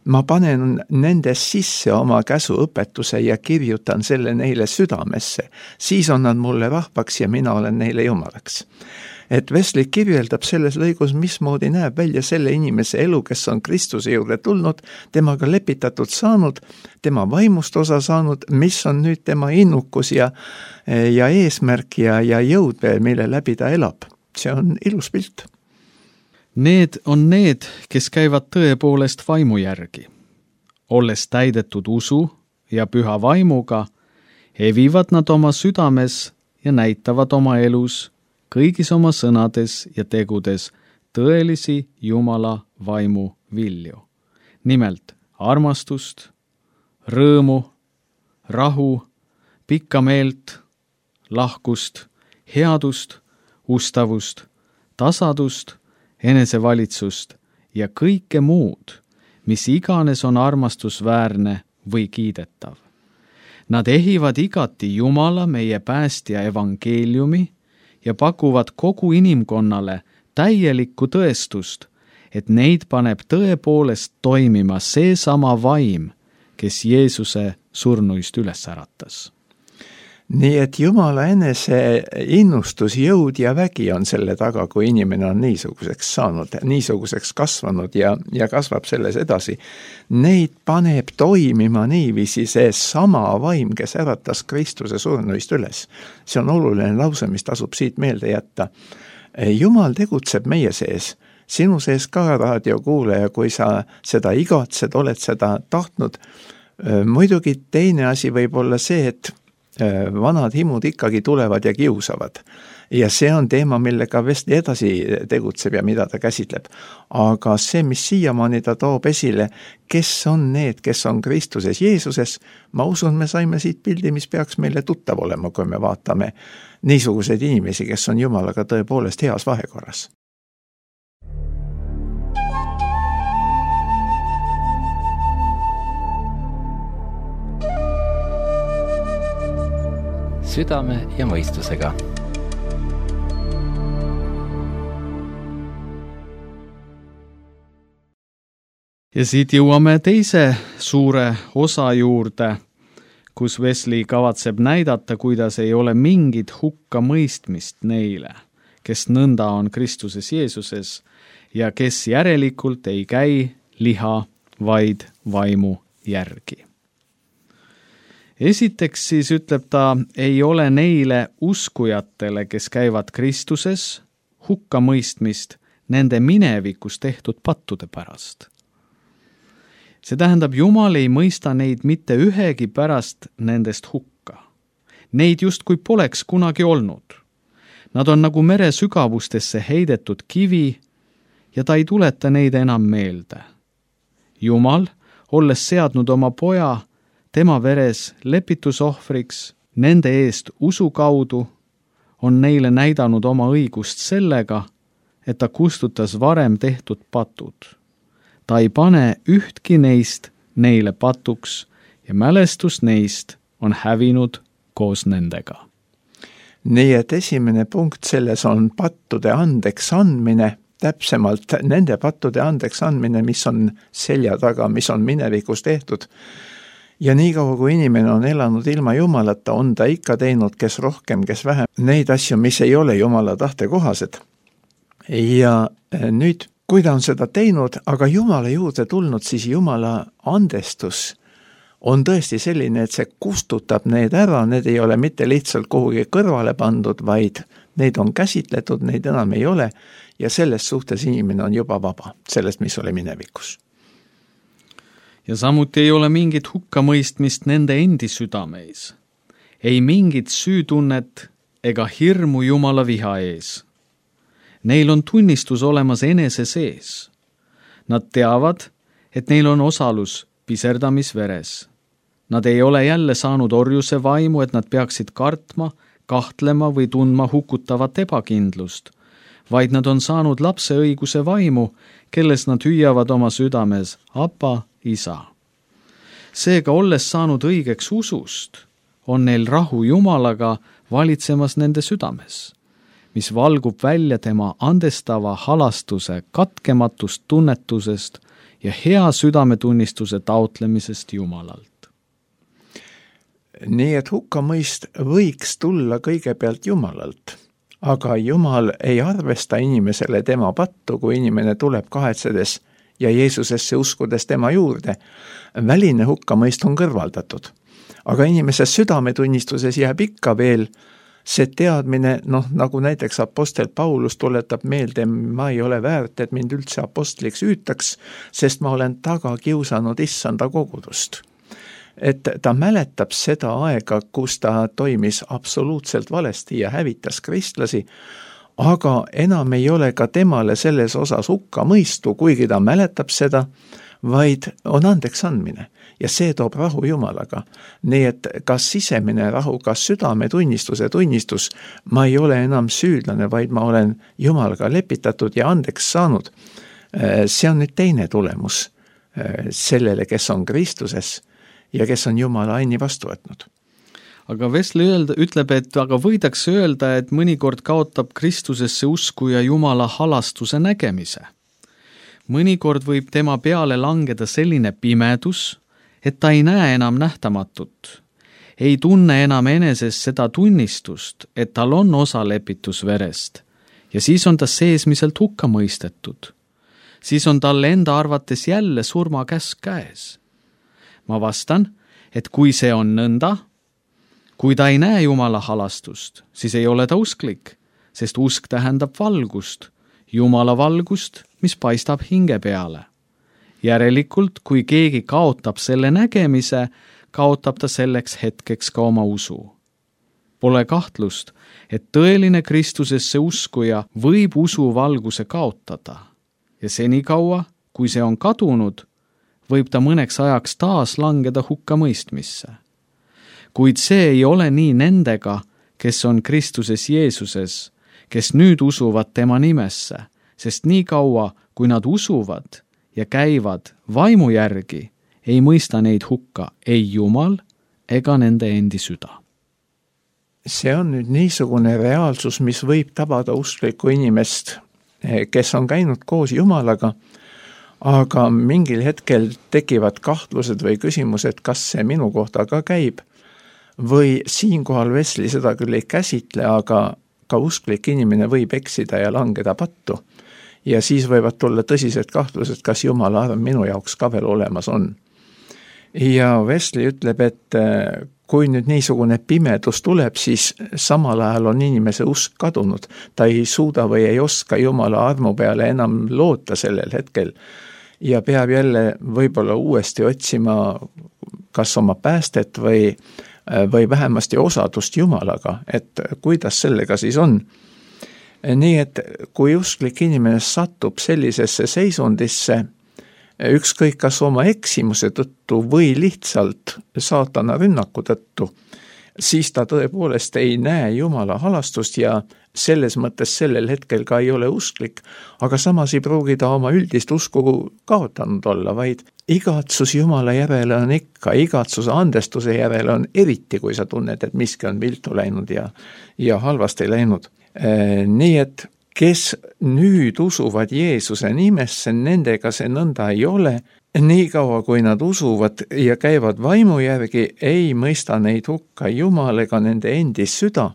ma panen nende sisse oma käsuõpetuse ja kirjutan selle neile südamesse, siis on nad mulle rahvaks ja mina olen neile jumalaks. Et Wesley kirjeldab selles lõigus, mismoodi näeb välja selle inimese elu, kes on Kristuse juurde tulnud, temaga lepitatud saanud, tema vaimust osa saanud, mis on nüüd tema innukus ja, ja eesmärk ja, ja jõud, mille läbi ta elab. See on ilus pilt. Need on need, kes käivad tõepoolest vaimu järgi. Olles täidetud usu ja püha vaimuga, evivad nad oma südames ja näitavad oma elus kõigis oma sõnades ja tegudes tõelisi Jumala vaimu vilju. Nimelt armastust, rõõmu, rahu, pikka meelt, lahkust, headust, ustavust, tasadust, enesevalitsust ja kõike muud, mis iganes on armastusväärne või kiidetav. Nad ehivad igati Jumala meie päästja evangeeliumi ja pakuvad kogu inimkonnale täielikku tõestust, et neid paneb tõepoolest toimima seesama vaim, kes Jeesuse surnuist üles äratas. Nii et Jumala enese innustus, jõud ja vägi on selle taga, kui inimene on niisuguseks saanud, niisuguseks kasvanud ja, ja kasvab selles edasi. Neid paneb toimima niiviisi see sama vaim, kes äratas Kristuse surnuist üles. See on oluline lause, mis tasub siit meelde jätta. Jumal tegutseb meie sees, sinu sees ka raadiokuulaja, kui sa seda igatsed, oled seda tahtnud. Muidugi teine asi võib olla see, et vanad himud ikkagi tulevad ja kiusavad. Ja see on teema, millega Wesley edasi tegutseb ja mida ta käsitleb. Aga see, mis siiamaani ta toob esile, kes on need, kes on Kristuses Jeesuses, ma usun, me saime siit pildi, mis peaks meile tuttav olema, kui me vaatame niisuguseid inimesi, kes on Jumalaga tõepoolest heas vahekorras. Südame ja mõistusega. Ja siit jõuame teise suure osa juurde, kus Wesley kavatseb näidata, kuidas ei ole mingit hukka mõistmist neile, kes nõnda on Kristuses Jeesuses ja kes järelikult ei käi liha, vaid vaimu järgi. Esiteks siis ütleb ta, ei ole neile uskujatele, kes käivad Kristuses, hukka mõistmist nende minevikus tehtud pattude pärast. See tähendab, Jumal ei mõista neid mitte ühegi pärast nendest hukka. Neid justkui poleks kunagi olnud. Nad on nagu mere sügavustesse heidetud kivi ja ta ei tuleta neid enam meelde. Jumal, olles seadnud oma poja tema veres lepitusohvriks nende eest usu kaudu, on neile näidanud oma õigust sellega, et ta kustutas varem tehtud patud. Ta ei pane ühtki neist neile patuks ja mälestus neist on hävinud koos nendega. Nii et esimene punkt selles on pattude andeks andmine, täpsemalt nende pattude andeks andmine, mis on selja taga, mis on minevikus tehtud. Ja nii kaua, kui inimene on elanud ilma Jumalata, on ta ikka teinud, kes rohkem, kes vähem, neid asju, mis ei ole Jumala tahte kohased. Ja nüüd, kui ta on seda teinud, aga Jumala juurde tulnud, siis Jumala andestus on tõesti selline, et see kustutab need ära, need ei ole mitte lihtsalt kuhugi kõrvale pandud, vaid neid on käsitletud, neid enam ei ole ja selles suhtes inimene on juba vaba, sellest, mis oli minevikus. Ja samuti ei ole mingit hukkamõistmist nende endi südameis. Ei mingit süütunnet ega hirmu Jumala viha ees. Neil on tunnistus olemas enese sees. Nad teavad, et neil on osalus piserdamisveres. Nad ei ole jälle saanud orjuse vaimu, et nad peaksid kartma, kahtlema või tundma hukutavat ebakindlust, vaid nad on saanud lapse õiguse vaimu, kelles nad hüüavad oma südames Apa, Isa. Seega, olles saanud õigeks usust, on neil rahu Jumalaga valitsemas nende südames, mis valgub välja tema andestava halastuse katkematust tunnetusest ja hea südametunnistuse taotlemisest Jumalalt. Nii et hukkamõist võiks tulla kõigepealt Jumalalt, aga Jumal ei arvesta inimesele tema pattu, kui inimene tuleb kahetsedes ja Jeesusesse uskudes tema juurde. Väline hukkamõist on kõrvaldatud, aga inimese südametunnistuses jääb ikka veel see teadmine, noh, nagu näiteks apostel Paulus tuletab meelde, ma ei ole väärt, et mind üldse apostliks hüütaks, sest ma olen taga kiusanud issanda kogudust. Et ta mäletab seda aega, kus ta toimis absoluutselt valesti ja hävitas kristlasi, aga enam ei ole ka temale selles osas hukka mõistu, kuigi ta mäletab seda, vaid on andeks andmine ja see toob rahu Jumalaga. Nii et kas sisemine rahu, kas südametunnistuse tunnistus, ma ei ole enam süüdlane, vaid ma olen Jumalaga lepitatud ja andeks saanud. See on nüüd teine tulemus sellele, kes on Kristuses ja kes on Jumala aini vastu võtnud. Aga Wesley öelda, ütleb, et aga võidakse öelda, et mõnikord kaotab Kristusesse usku ja Jumala halastuse nägemise. Mõnikord võib tema peale langeda selline pimedus, et ta ei näe enam nähtamatut, ei tunne enam eneses seda tunnistust, et tal on osa lepitusverest ja siis on ta seesmiselt hukka mõistetud. Siis on talle enda arvates jälle surmakäsk käes. Ma vastan, et kui see on nõnda, kui ta ei näe Jumala halastust, siis ei ole ta usklik, sest usk tähendab valgust, Jumala valgust, mis paistab hinge peale. Järelikult, kui keegi kaotab selle nägemise, kaotab ta selleks hetkeks ka oma usu. Pole kahtlust, et tõeline Kristusesse uskuja võib usu valguse kaotada ja senikaua, kui see on kadunud, võib ta mõneks ajaks taas langeda hukka mõistmisse. Kuid see ei ole nii nendega, kes on Kristuses Jeesuses, kes nüüd usuvad tema nimesse, sest nii kaua, kui nad usuvad ja käivad vaimu järgi, ei mõista neid hukka ei Jumal ega nende endi süda. See on nüüd niisugune reaalsus, mis võib tabada usklikku inimest, kes on käinud koos Jumalaga, aga mingil hetkel tekivad kahtlused või küsimused, kas see minu kohta ka käib, või siinkohal Wesley seda küll ei käsitle, aga ka usklik inimene võib eksida ja langeda pattu. Ja siis võivad tulla tõsised kahtlused, kas Jumala arm minu jaoks ka veel olemas on. Ja Wesley ütleb, et kui nüüd niisugune pimedus tuleb, siis samal ajal on inimese usk kadunud. Ta ei suuda või ei oska Jumala armu peale enam loota sellel hetkel ja peab jälle võib-olla uuesti otsima kas oma päästet või, või vähemasti osadust Jumalaga, et kuidas sellega siis on. Nii et kui usklik inimene satub sellisesse seisundisse, ükskõik kas oma eksimuse tõttu või lihtsalt saatana rünnaku tõttu, siis ta tõepoolest ei näe Jumala halastust ja selles mõttes sellel hetkel ka ei ole usklik, aga samas ei pruugi ta oma üldist usku kaotanud olla, vaid igatsus Jumala järele on ikka, igatsuse andestuse järele on eriti, kui sa tunned, et miski on viltu läinud ja, ja halvasti läinud. Nii et kes nüüd usuvad Jeesuse nimesse, nendega see nõnda ei ole, nii kaua kui nad usuvad ja käivad vaimu järgi, ei mõista neid hukka Jumal ega nende endi süda.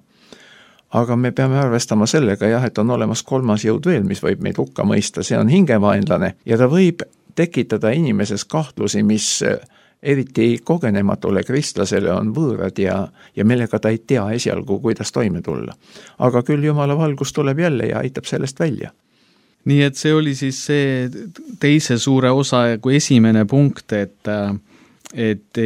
Aga me peame arvestama sellega jah, et on olemas kolmas jõud veel, mis võib meid hukka mõista, see on hingevaenlane ja ta võib tekitada inimeses kahtlusi, mis eriti kogenematule kristlasele on võõrad ja, ja millega ta ei tea esialgu, kuidas toime tulla. Aga küll Jumala valgus tuleb jälle ja aitab sellest välja. Nii et see oli siis see teise suure osa kui esimene punkt, et, et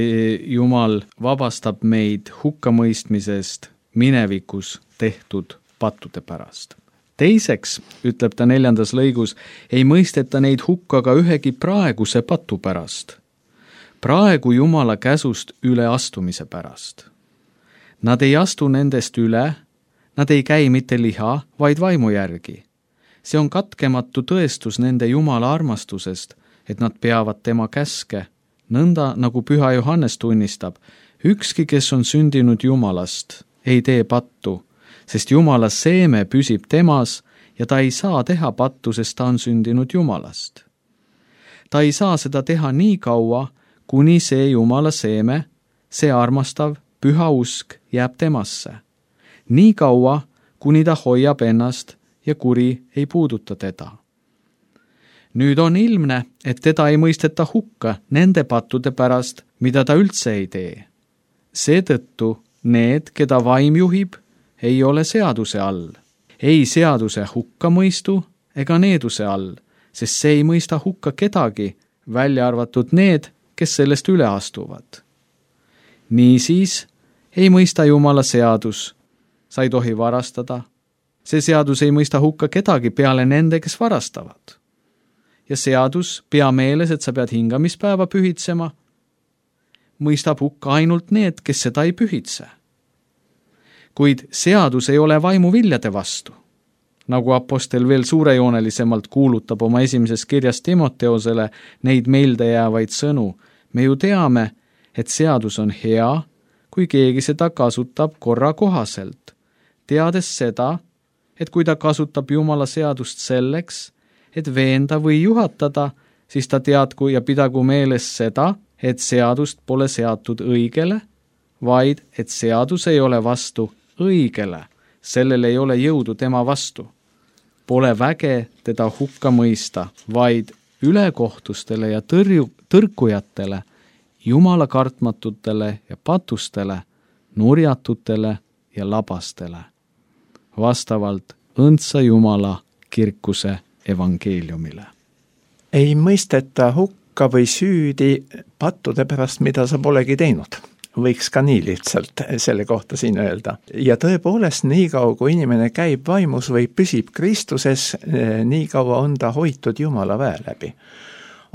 Jumal vabastab meid hukkamõistmisest minevikus tehtud pattude pärast. Teiseks, ütleb ta neljandas lõigus, ei mõisteta neid hukka ka ühegi praeguse patu pärast. Praegu Jumala käsust üle astumise pärast. Nad ei astu nendest üle, nad ei käi mitte liha, vaid vaimu järgi. See on katkematu tõestus nende Jumala armastusest, et nad peavad tema käske, nõnda nagu Püha Johannes tunnistab, ükski, kes on sündinud Jumalast, ei tee pattu, sest Jumala seeme püsib temas ja ta ei saa teha pattu, sest ta on sündinud Jumalast. ta ei saa seda teha nii kaua, kuni see Jumala seeme, see armastav, püha usk jääb temasse. Nii kaua, kuni ta hoiab ennast ja kuri ei puuduta teda. Nüüd on ilmne, et teda ei mõisteta hukka nende pattude pärast, mida ta üldse ei tee. Seetõttu need, keda vaim juhib, ei ole seaduse all. Ei seaduse hukkamõistu ega needuse all, sest see ei mõista hukka kedagi, välja arvatud need, kes sellest üle astuvad. Niisiis ei mõista Jumala seadus. Sa ei tohi varastada. See seadus ei mõista hukka kedagi peale nende, kes varastavad. Ja seadus, pea meeles, et sa pead hingamispäeva pühitsema, mõistab hukka ainult need, kes seda ei pühitse. Kuid seadus ei ole vaimu viljade vastu. Nagu apostel veel suurejoonelisemalt kuulutab oma esimeses kirjas Timoteosele neid meelde jäävaid sõnu, me ju teame, et seadus on hea, kui keegi seda kasutab korra kohaselt, teades seda, et kui ta kasutab Jumala seadust selleks, et veenda või juhatada, siis ta teadku ja pidagu meeles seda, et seadust pole seatud õigele, vaid et seadus ei ole vastu õigele, sellel ei ole jõudu tema vastu. Pole väge teda hukka mõista, vaid ülekohtustele ja tõrju, tõrkujatele, Jumala kartmatutele ja patustele, nurjatutele ja labastele, vastavalt õndsa Jumala kirkuse evangeeliumile. Ei mõisteta hukka või süüdi pattude pärast, mida sa polegi teinud. Võiks ka nii lihtsalt selle kohta siin öelda. Ja tõepoolest, nii kaua kui inimene käib vaimus või püsib Kristuses, nii kaua on ta hoitud Jumala väe läbi.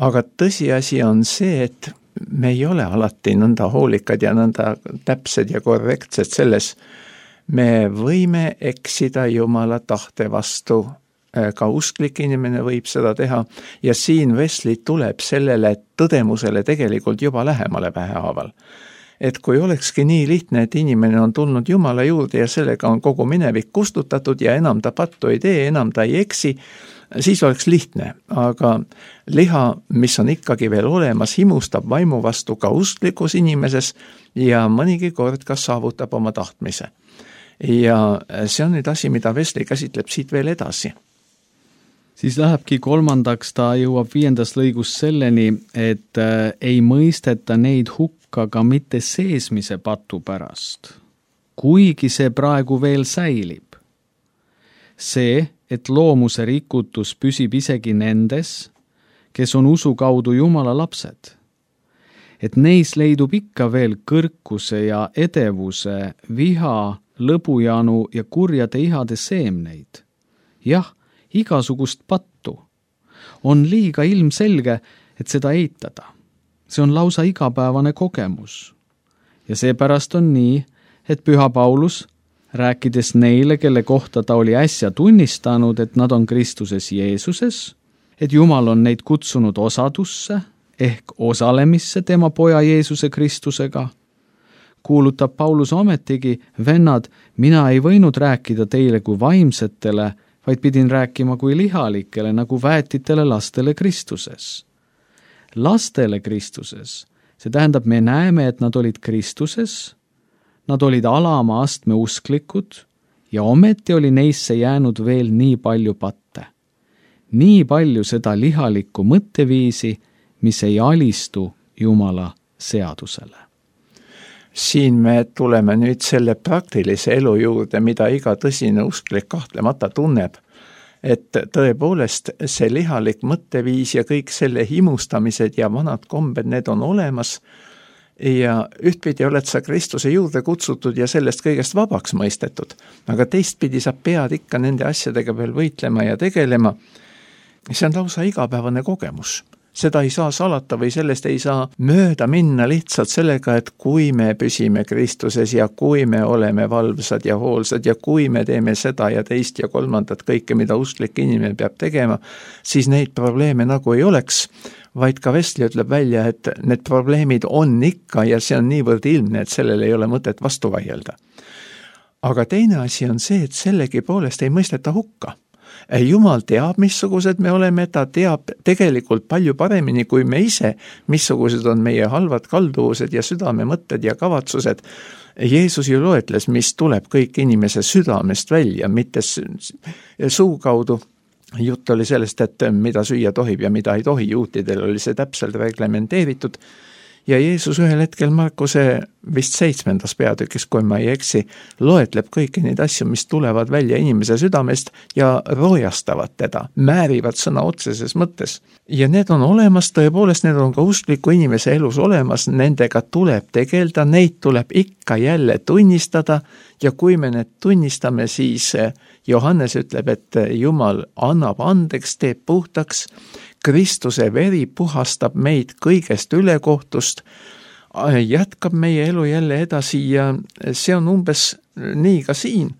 Aga tõsiasi on see, et me ei ole alati nõnda hoolikad ja nõnda täpsed ja korrektsed selles. Me võime eksida Jumala tahte vastu. Ka usklik inimene võib seda teha ja siin Wesley tuleb sellele tõdemusele tegelikult juba lähemale vähehaaval. Et kui olekski nii lihtne, et inimene on tulnud Jumala juurde ja sellega on kogu minevik kustutatud ja enam ta pattu ei tee, enam ta ei eksi, siis oleks lihtne. Aga liha, mis on ikkagi veel olemas, himustab vaimu vastu ka usklikus inimeses ja mõnigi kord ka saavutab oma tahtmise. Ja see on nüüd asi, mida Wesley käsitleb siit veel edasi. Siis lähebki kolmandaks, ta jõuab viiendas lõigus selleni, et äh, ei mõisteta neid hukka ka mitte seesmise patu pärast, kuigi see praegu veel säilib. See, et loomuse rikutus püsib isegi nendes, kes on usu kaudu Jumala lapsed. Et neis leidub ikka veel kõrkuse ja edevuse, viha, lõbujanu ja kurjade ihade seemneid. Jah, igasugust pattu. On liiga ilmselge, et seda eitada. See on lausa igapäevane kogemus. Ja seepärast on nii, et Püha Paulus, rääkides neile, kelle kohta ta oli äsja tunnistanud, et nad on Kristuses Jeesuses, et Jumal on neid kutsunud osadusse ehk osalemisse tema poja Jeesuse Kristusega, kuulutab Paulus ometigi, vennad, mina ei võinud rääkida teile kui vaimsetele, vaid pidin rääkima kui lihalikele, nagu väetitele lastele Kristuses. Lastele Kristuses, see tähendab, me näeme, et nad olid Kristuses, nad olid alama astme usklikud ja ometi oli neisse jäänud veel nii palju patte. Nii palju seda lihalikku mõtteviisi, mis ei alistu Jumala seadusele. Siin me tuleme nüüd selle praktilise elu juurde, mida iga tõsine usklik kahtlemata tunneb, et tõepoolest see lihalik mõtteviis ja kõik selle himustamised ja vanad kombed, need on olemas ja ühtpidi oled sa Kristuse juurde kutsutud ja sellest kõigest vabaks mõistetud, aga teistpidi sa pead ikka nende asjadega veel võitlema ja tegelema. See on lausa igapäevane kogemus. Seda ei saa salata või sellest ei saa mööda minna lihtsalt sellega, et kui me püsime Kristuses ja kui me oleme valvsad ja hoolsad ja kui me teeme seda ja teist ja kolmandat kõike, mida usklik inimene peab tegema, siis neid probleeme nagu ei oleks, vaid ka Wesley ütleb välja, et need probleemid on ikka ja see on niivõrd ilmne, et sellele ei ole mõtet vastu vaielda. Aga teine asi on see, et sellegi poolest ei mõisteta hukka. Jumal teab, missugused me oleme, ta teab tegelikult palju paremini kui me ise, missugused on meie halvad kalduvused ja südame mõtted ja kavatsused. Jeesus ju loetles, mis tuleb kõik inimese südamest välja, mitte suu kaudu. Jutt oli sellest, et mida süüa tohib ja mida ei tohi, juutidel oli see täpselt reglementeeritud. Ja Jeesus ühel hetkel Markuse vist seitsmendas peatükis, kui ma ei eksi, loetleb kõiki neid asju, mis tulevad välja inimese südamest ja roojastavad teda, määrivad sõna otseses mõttes. Ja need on olemas, tõepoolest need on ka uskliku inimese elus olemas, nendega tuleb tegelda, neid tuleb ikka jälle tunnistada ja kui me need tunnistame, siis Johannes ütleb, et Jumal annab andeks, teeb puhtaks, Kristuse veri puhastab meid kõigest ülekohtust, jätkab meie elu jälle edasi ja see on umbes nii ka siin.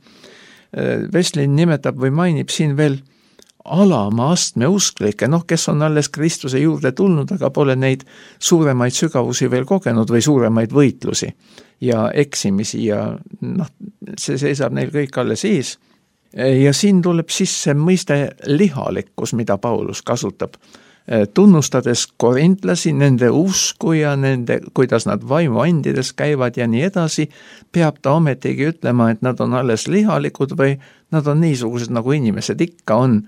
Veslin nimetab või mainib siin veel alama astme usklikke, noh, kes on alles Kristuse juurde tulnud, aga pole neid suuremaid sügavusi veel kogenud või suuremaid võitlusi ja eksimisi ja noh, see seisab neil kõik alles ees. Ja siin tuleb sisse mõiste lihalikkus, mida Paulus kasutab, tunnustades korintlasi, nende usku ja nende, kuidas nad vaimuandides käivad ja nii edasi, peab ta ometigi ütlema, et nad on alles lihalikud või nad on niisugused, nagu inimesed ikka on,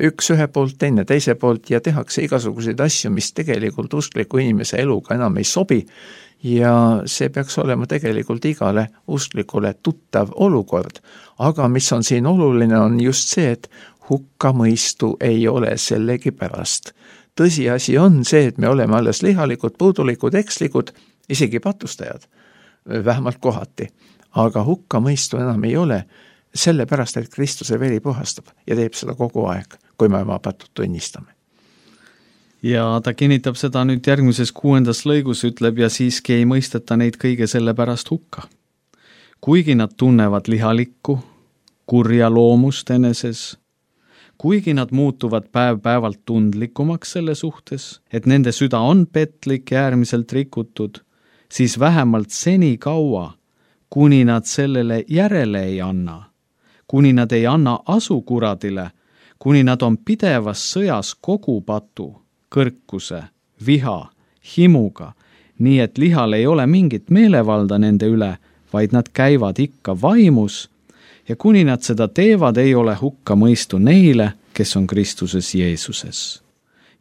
üks ühe poolt, teine teise poolt ja tehakse igasuguseid asju, mis tegelikult uskliku inimese eluga enam ei sobi ja see peaks olema tegelikult igale usklikule tuttav olukord. Aga mis on siin oluline, on just see, et hukkamõistu ei ole sellegi pärast. Tõsiasi on see, et me oleme alles lihalikud, puudulikud, ekslikud, isegi patustajad, vähemalt kohati. Aga hukkamõistu enam ei ole, sellepärast, et Kristuse veri puhastab ja teeb seda kogu aeg, kui me oma patut tunnistame. Ja ta kinnitab seda nüüd järgmises kuuendas lõigus, ütleb ja siiski ei mõisteta neid kõige selle pärast hukka. Kuigi nad tunnevad lihalikku, kurja loomust eneses, kuigi nad muutuvad päev-päevalt tundlikumaks selle suhtes, et nende süda on petlik ja äärmiselt rikutud, siis vähemalt seni kaua, kuni nad sellele järele ei anna, kuni nad ei anna asu kuradile, kuni nad on pidevas sõjas kogu patu, kõrkuse, viha, himuga, nii et lihal ei ole mingit meelevalda nende üle, vaid nad käivad ikka vaimus ja kuni nad seda teevad, ei ole hukka mõistu neile, kes on Kristuses Jeesuses.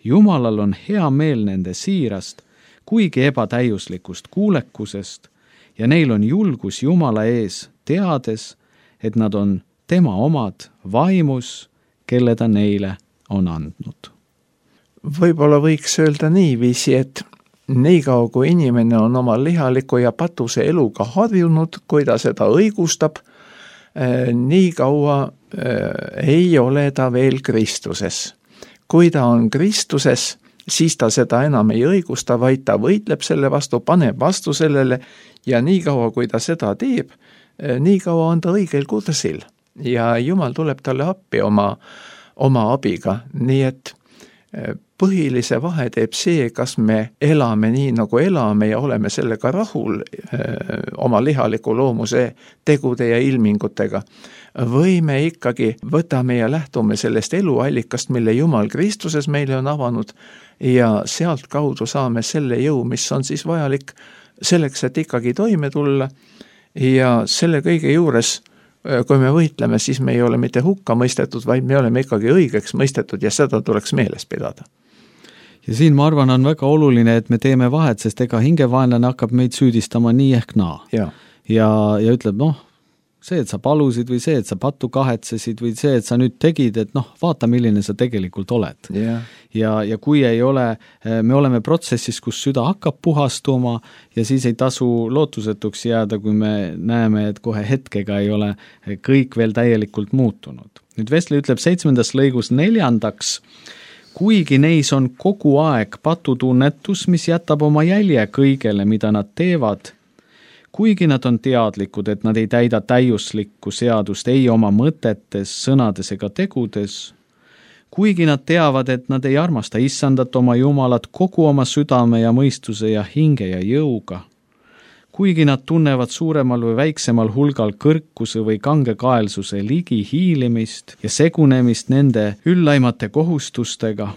Jumalal on hea meel nende siirast, kuigi ebatäiuslikust kuulekusest ja neil on julgus Jumala ees, teades, et nad on tema omad vaimus, kelle ta neile on andnud. Võib-olla võiks öelda niiviisi, et nii kaua kui inimene on oma lihaliku ja patuse eluga harjunud, kui ta seda õigustab, nii kaua ei ole ta veel Kristuses. Kui ta on Kristuses, siis ta seda enam ei õigusta, vaid ta võitleb selle vastu, paneb vastu sellele ja nii kaua kui ta seda teeb, nii kaua on ta õigel kursil ja Jumal tuleb talle appi oma, oma abiga, nii et põhilise vahe teeb see, kas me elame nii, nagu elame ja oleme sellega rahul öö, oma lihaliku loomuse tegude ja ilmingutega. Või me ikkagi võtame ja lähtume sellest eluallikast, mille Jumal Kristuses meile on avanud ja sealt kaudu saame selle jõu, mis on siis vajalik selleks, et ikkagi toime tulla ja selle kõige juures, kui me võitleme, siis me ei ole mitte hukka mõistetud, vaid me oleme ikkagi õigeks mõistetud ja seda tuleks meeles pidada. Ja siin ma arvan, on väga oluline, et me teeme vahet, sest ega hingevaenlane hakkab meid süüdistama nii ehk naa. Ja, ja, ja ütleb, noh, see, et sa palusid või see, et sa pattu kahetsesid või see, et sa nüüd tegid, et noh, vaata, milline sa tegelikult oled. Yeah. Ja, ja kui ei ole, me oleme protsessis, kus süda hakkab puhastuma ja siis ei tasu lootusetuks jääda, kui me näeme, et kohe hetkega ei ole kõik veel täielikult muutunud. Nüüd Vesli ütleb seitsmendas lõigus neljandaks, kuigi neis on kogu aeg patutunnetus, mis jätab oma jälje kõigele, mida nad teevad, kuigi nad on teadlikud, et nad ei täida täiuslikku seadust ei oma mõtetes, sõnades ega tegudes, kuigi nad teavad, et nad ei armasta issandat oma Jumalat kogu oma südame ja mõistuse ja hinge ja jõuga, kuigi nad tunnevad suuremal või väiksemal hulgal kõrkuse või kangekaelsuse ligi hiilimist ja segunemist nende üllaimate kohustustega,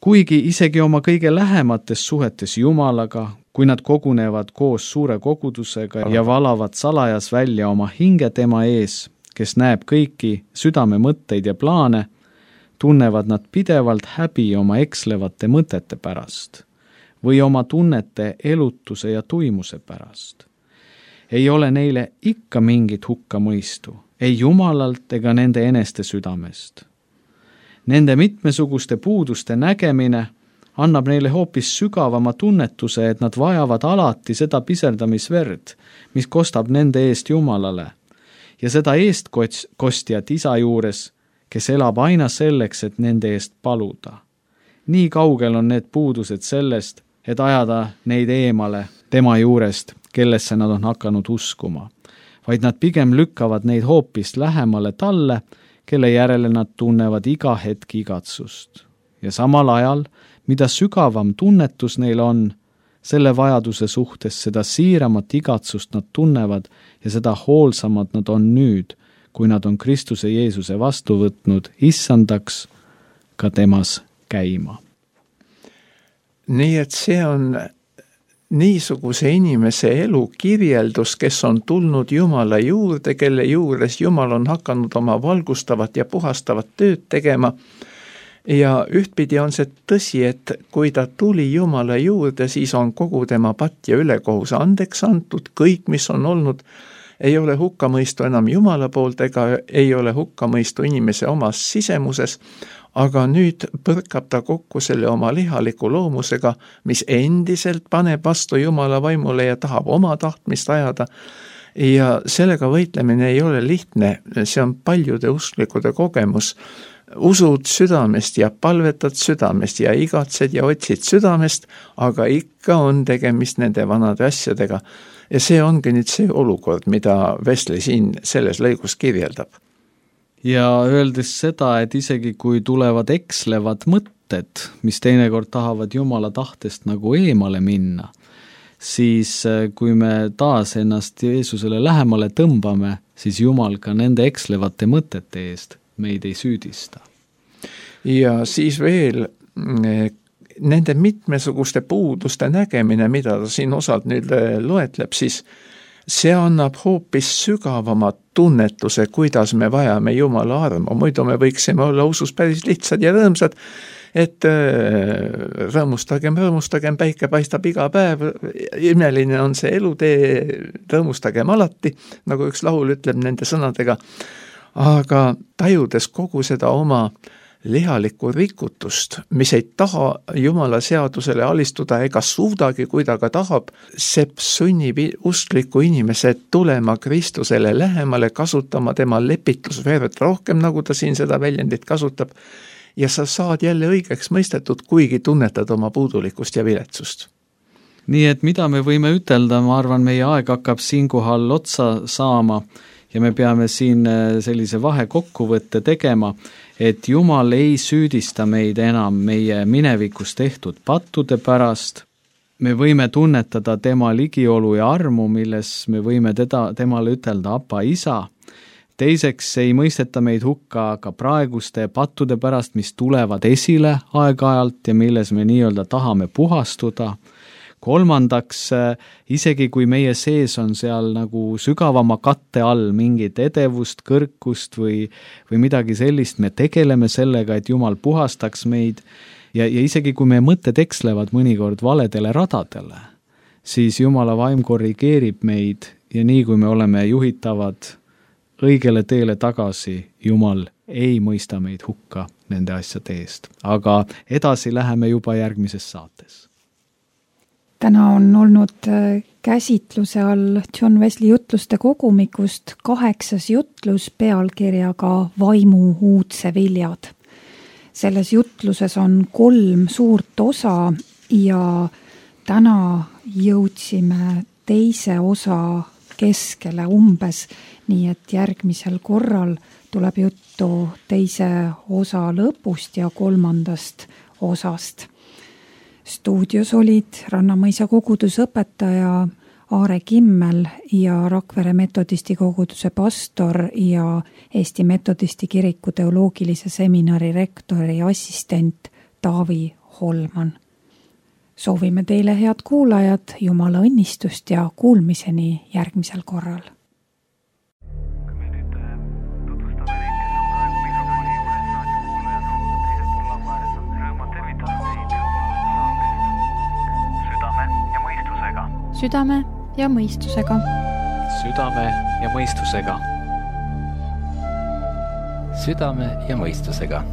kuigi isegi oma kõige lähemates suhetes Jumalaga, kui nad kogunevad koos suure kogudusega ja valavad salajas välja oma hinge tema ees, kes näeb kõiki südame mõtteid ja plaane, tunnevad nad pidevalt häbi oma ekslevate mõtete pärast või oma tunnete elutuse ja tuimuse pärast. Ei ole neile ikka mingit hukkamõistu, ei Jumalalt ega nende eneste südamest. Nende mitmesuguste puuduste nägemine annab neile hoopis sügavama tunnetuse, et nad vajavad alati seda piserdamisverd, mis kostab nende eest Jumalale, ja seda eestkostjat isa juures, kes elab aina selleks, et nende eest paluda. Nii kaugel on need puudused sellest, et ajada neid eemale tema juurest, kellesse nad on hakanud uskuma, vaid nad pigem lükkavad neid hoopis lähemale talle, kelle järele nad tunnevad iga hetk igatsust. Ja samal ajal, mida sügavam tunnetus neil on, selle vajaduse suhtes seda siiramat igatsust nad tunnevad ja seda hoolsamad nad on nüüd, kui nad on Kristuse Jeesuse vastu võtnud issandaks ka temas käima. Nii et see on niisuguse inimese elu kirjeldus, kes on tulnud Jumala juurde, kelle juures Jumal on hakanud oma valgustavat ja puhastavat tööd tegema. Ja ühtpidi on see tõsi, et kui ta tuli Jumala juurde, siis on kogu tema patt ja ülekohus andeks antud, kõik, mis on olnud, ei ole hukkamõistu enam Jumala poolt ega ei ole hukkamõistu inimese omas sisemuses, aga nüüd põrkab ta kokku selle oma lihaliku loomusega, mis endiselt paneb vastu Jumala vaimule ja tahab oma tahtmist ajada. Ja sellega võitlemine ei ole lihtne, see on paljude usklikude kogemus. Usud südamest ja palvetad südamest ja igatsed ja otsid südamest, aga ikka on tegemist nende vanade asjadega. Ja see ongi nüüd see olukord, mida Wesley siin selles lõigus kirjeldab. Ja öeldes seda, et isegi kui tulevad ekslevad mõtted, mis teinekord tahavad Jumala tahtest nagu eemale minna, siis kui me taas ennast Jeesusele lähemale tõmbame, siis Jumal ka nende ekslevate mõtete eest meid ei süüdista. Ja siis veel nende mitmesuguste puuduste nägemine, mida ta siin osalt nüüd loetleb, siis see annab hoopis sügavamat tunnetuse, kuidas me vajame Jumala armu. Muidu me võiksime olla usus päris lihtsad ja rõõmsad, et rõõmustagem, rõõmustagem, päike paistab iga päev, imeline on see elutee, rõõmustagem alati, nagu üks laul ütleb nende sõnadega. Aga tajudes kogu seda oma lihalikku rikutust, mis ei taha Jumala seadusele alistuda ega suudagi, kui ta ka tahab, see sunnib uskliku inimese tulema Kristusele lähemale, kasutama tema lepitusverd rohkem, nagu ta siin seda väljendit kasutab, ja sa saad jälle õigeks mõistetud, kuigi tunnetad oma puudulikkust ja viletsust. Nii et mida me võime ütelda, ma arvan, meie aeg hakkab siinkohal otsa saama ja me peame siin sellise vahekokkuvõtte tegema, et Jumal ei süüdista meid enam meie minevikus tehtud pattude pärast. Me võime tunnetada tema ligiolu ja armu, milles me võime teda, temale ütelda Apa isa. Teiseks ei mõisteta meid hukka ka praeguste pattude pärast, mis tulevad esile aeg-ajalt ja milles me nii-öelda tahame puhastuda. Kolmandaks, isegi kui meie sees on seal nagu sügavama katte all mingit edevust, kõrkust või, või midagi sellist, me tegeleme sellega, et Jumal puhastaks meid ja, ja isegi kui meie mõtted ekslevad mõnikord valedele radadele, siis Jumala vaim korrigeerib meid ja nii kui me oleme juhitavad õigele teele tagasi, Jumal ei mõista meid hukka nende asjade eest. Aga edasi läheme juba järgmises saates. Täna on olnud käsitluse all John Wesley jutluste kogumikust kaheksas jutlus pealkirjaga Vaimu uudse viljad. Selles jutluses on kolm suurt osa ja täna jõudsime teise osa keskele umbes, nii et järgmisel korral tuleb juttu teise osa lõpust ja kolmandast osast. Stuudios olid Rannamõisa kogudusõpetaja Aare Kimmel ja Rakvere metodisti koguduse pastor ja Eesti Metodisti Kiriku teoloogilise seminari rektori assistent Taavi Holman. Soovime teile, head kuulajad, Jumala õnnistust ja kuulmiseni järgmisel korral. Südame ja mõistusega. Südame ja mõistusega. Südame ja mõistusega.